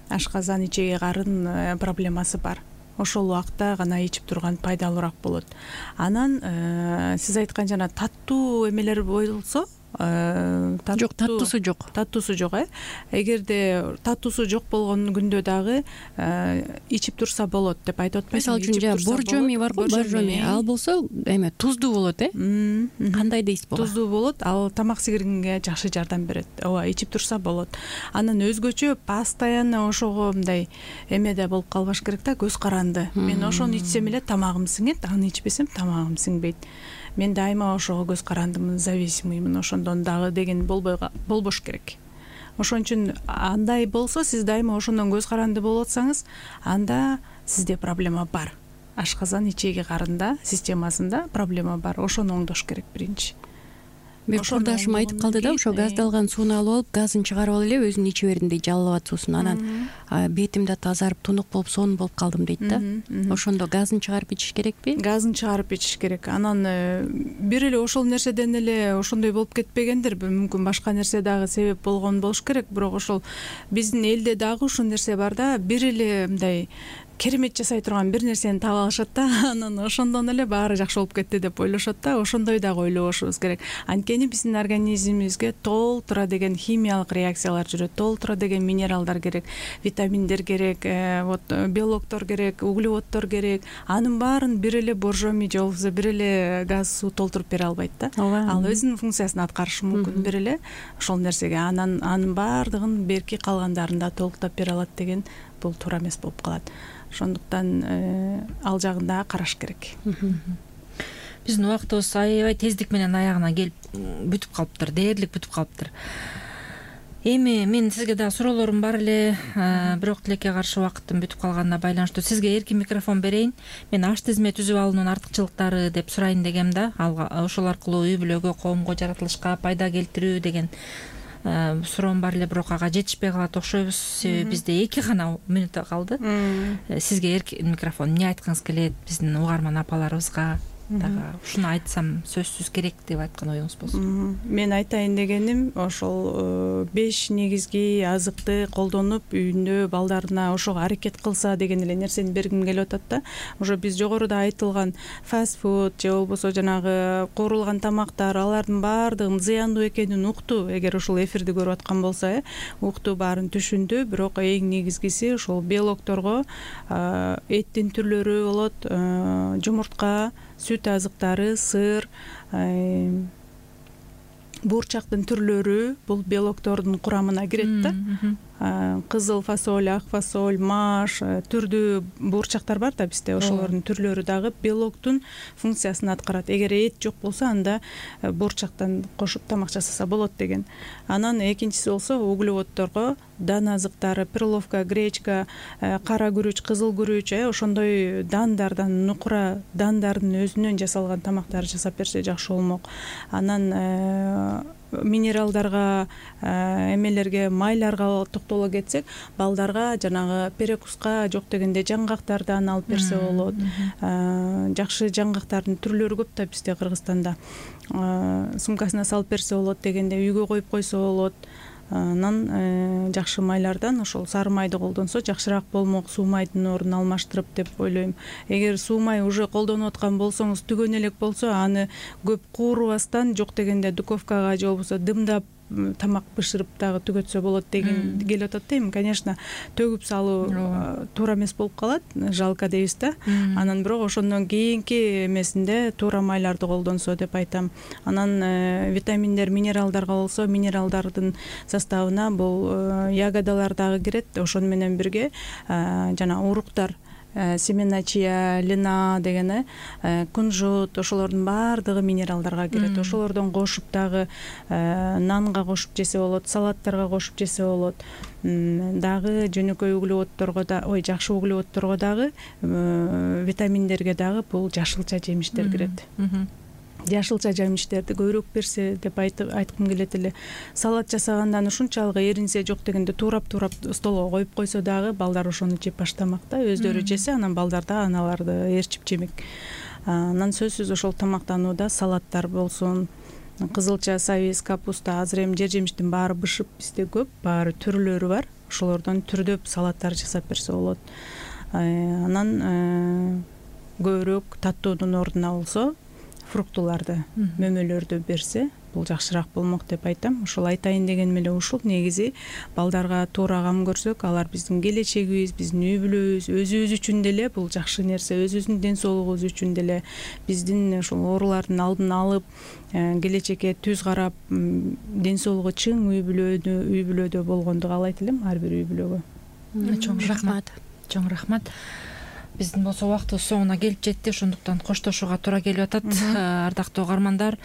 ашказан, ичеги карын проблемасы бар, ошол убакта гана ичип турган пайдалуураак болот. Анан сиз айткан жана таттуу эмелер болсо, жок, таттуусу жок. Эгерде таттуусу жок болгон күндө дагы ичип турса болот деп айтып атпайсызбы? Мисалы үчүн боржоми бар го, боржоми, ал болсо туздуу болот, кандай дейсизби? Туздуу болот, ал тамак сиңиргенге жакшы жардам берет. Ооба, ичип турса болот. Анан өзгөчө постоянно ошого мындай эмеде болуп калбаш керек да, көз каранды. Мен ошону ичсем эле тамагым сиңет, аны ичпесем тамагым сиңбейт. Мен дайыма ошого көз карандымын, зависимыймын, ошондон дагы деген болбош керек. Ошон үчүн андай болсо, сиз дайыма ошондон көз каранды болуп атсаңыз, анда сизде проблема бар. Ашказан, ичеги карында системасында проблема бар. Ошону оңдош керек биринчи. Бир курдашым айтып калды да, ошо газдалган сууну алып алып, газын чыгарып алып эле өзүн иче бердим дейт, жалалабад суусун. Анан бетим да тазарып, тунук болуп, сонун болуп калдым дейт да. Ошондо газын чыгарып ичиш керекпи? Газын чыгарып ичиш керек. Анан бир эле ошол нерседен эле ошондой болуп кетпегендир, мүмкүн башка нерсе дагы себеп болгон болуш керек. Бирок ошол биздин элде дагы ушул нерсе бар да, бир эле мындай керемет жасай турган бир нерсени таап алышат да, анан ошондон эле баары жакшы болуп кетти деп ойлошот да. Ошондой дагы ойлобошубуз керек. Анткени биздин организмибизге толтура деген химиялык реакциялар жүрөт, толтура деген минералдар керек, витаминдер керек, белоктор керек, углеводдор керек. Анын баарын бир эле боржоми же болбосо бир эле газ суу толтуруп бере албайт да. Ал өзүнүн функциясын аткарышы мүмкүн бир эле ошол нерсеге. Анын баардыгын берки калгандарында толуктап бере алат деген бул туура эмес болуп калат. Ошондуктан ал жагын дагы караш керек. Биздин убактыбыз аябай тездик менен аягына келип бүтүп калыптыр, дээрлик бүтүп калыптыр. Эми мен сизге дагы суроолорум бар эле, бирок тилекке каршы убакыттын бүтүп калганына байланыштуу сизге эркин микрофон берейин. Мен аш тизме түзүп алуунун артыкчылыктары деп сурайын дегем да. Ошол аркылуу үй бүлөгө, коомго, жаратылышка пайда келтирүү деген суроом бар эле, бирок ага жетишпей калат окшойбуз. Себеби бизде 2 гана мүнөт калды. Сизге микрофон эмне айткыңыз келет биздин угарман апаларыбызга? Дагы ушуну айтсам сөзсүз керек деп айткан оюңуз болсун. Мен айтайын дегеним ошол 5 негизги азыкты колдонуп үйүндө балдарына ошого аракет кылса деген эле нерсени бергим келип атат да. Ошо биз жогоруда айтылган фастфуд же болбосо жанагы куурулган тамактар, алардын баардыгынын зыяндуу экенин укту. Эгер ушул эфирди көрүп аткан болсо, укту, баарын түшүндү. Бирок эң негизгиси ошол белокторго эттин түрлөрү болот, жумуртка, сүт азыктары, сыр, буурчактын түрлөрү бул белоктордун курамына кирет да. Кызыл фасоль, ак фасоль, маш, түрдүү буурчактар бар да бизде. Ошолордун түрлөрү дагы белоктун функциясын аткарат. Эгер эт жок болсо, анда буурчактан кошуп тамак жасаса болот деген. Анан экинчиси болсо углеводдорго дан азыктары, перловка, гречка, кара күрүч, кызыл күрүч, ошондой дандардан, нукура дандардын өзүнөн жасалган тамактар жасап берсе жакшы болмок. Анан минералдарга, эмелерге, майларга токтоло кетсек, балдарга жанагы перекуска жок дегенде жаңгактардан алып берсе болот. Жакшы жаңгактардын түрлөрү көп да бизде Кыргызстанда. Сумкасына салып берсе болот дегенде үйгө коюп койсо болот. Анан жакшы майлардан ошол сары майды колдонсо жакшыраак болмок, суу майдын ордун алмаштырып деп ойлойм. Эгер суу май уже колдонуп аткан болсоңуз, түгөнө элек болсо, аны көп куурубастан жок дегенде духовкага же болбосо дымдап тамак бышырып дагы түгөтсө болот деген келип атат дейм. Конечно, төгүп салуу туура эмес болуп калат, жалко дейбиз да. Анан бирок ошондон кийинки эмесинде туура майларды колдонсо деп айтам. Анан витаминдер, минералдарга болсо, минералдардын составына бул ягодалар дагы кирет. Ошону менен бирге жана уруктар, семена чия, лина деген, кунжут, ошолордун баардыгы минералдарга кирет. Ошолордон кошуп дагы нанга кошуп жесе болот, салаттарга кошуп жесе болот. Дагы жөнөкөй углеводдорго да, жакшы углеводдорго дагы, витаминдерге дагы бул жашылча жемиштер кирет. Жашылча жемиштерди көбүрөөк берсе деп айткым келет эле. Салат жасагандан ушунчалык эринсе жок дегенде туурап столго коюп койсо дагы балдар ошону жеп баштамак да. Өздөрү жесе, анан балдар да аналарды ээрчип жемек. Анан сөзсүз ошол тамактанууда салаттар болсун, кызылча, сабиз, капуста, азыр эми жер жемиштин баары бышып бизде көп, баары түрлөрү бар. Ошолордон түрдөп салаттар жасап берсе болот. Анан көбүрөөк таттоодун ордуна болсо фруктуларды, мөмөлөрдү берсе, бул жакшыраак болмок деп айтам. Ошол айтайын дегеним эле ушул. Негизи балдарга туура кам көрсөк, алар биздин келечегибиз, биздин үй бүлөбүз, өзүбүз үчүн деле бул жакшы нерсе, өзүбүздүн ден соолугубуз үчүн деле, биздин ошол оорулардын алдын алып, келечекке түз карап, ден соолугу чың үй бүлөдө болгонду каалайт элем, ар бир үй бүлөгө. Чоң рахмат. Чоң рахмат. Биздин болсо убактыбыз соңуна келип жетти, ошондуктан коштошууга туура келип атат. Ардактуу угармандар,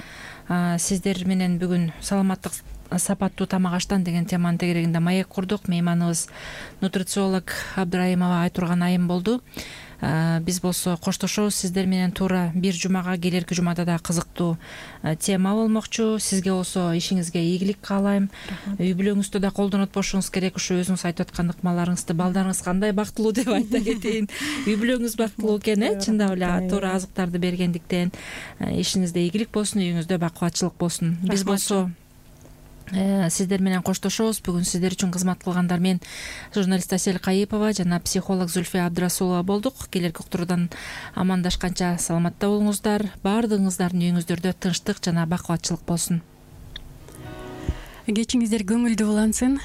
сиздер менен бүгүн саламаттык сапаттуу тамак аштан деген теманын тегерегинде маек курдук. Мейманыбыз нутрициолог Абдрайымова Айтурган айым болду. Биз болсо коштошобуз сиздер менен туура бир жумага, келерки жумада да кызыктуу тема болмокчу. Сизге болсо ишиңизге ийгилик каалайм. Үй бүлөңүздө да колдонуп болушуңуз керек. Ушу өзүңүз айтып аткан ыкмаларыңызды, балдарыңыз кандай бактылуу деп айта кетейин. Үй бүлөңүз бактылуу экен, чындап эле туура азыктарды бергендиктен. Ишиңизде ийгилик болсун, үйүңүздө бакубатчылык болсун. Биз болсо сиздер менен коштошобуз. Бүгүн сиздер үчүн кызмат кылгандар мен журналист Асель Кайыпова жана психолог Зульфия Абдрасулова болдук. Келерки уктуруудан амандашканча саламатта болуңуздар. Баардыгыңыздардын үйүңүздөрдө тынчтык жана бакубатчылык болсун. Кечиңиздер көңүлдүү улансын.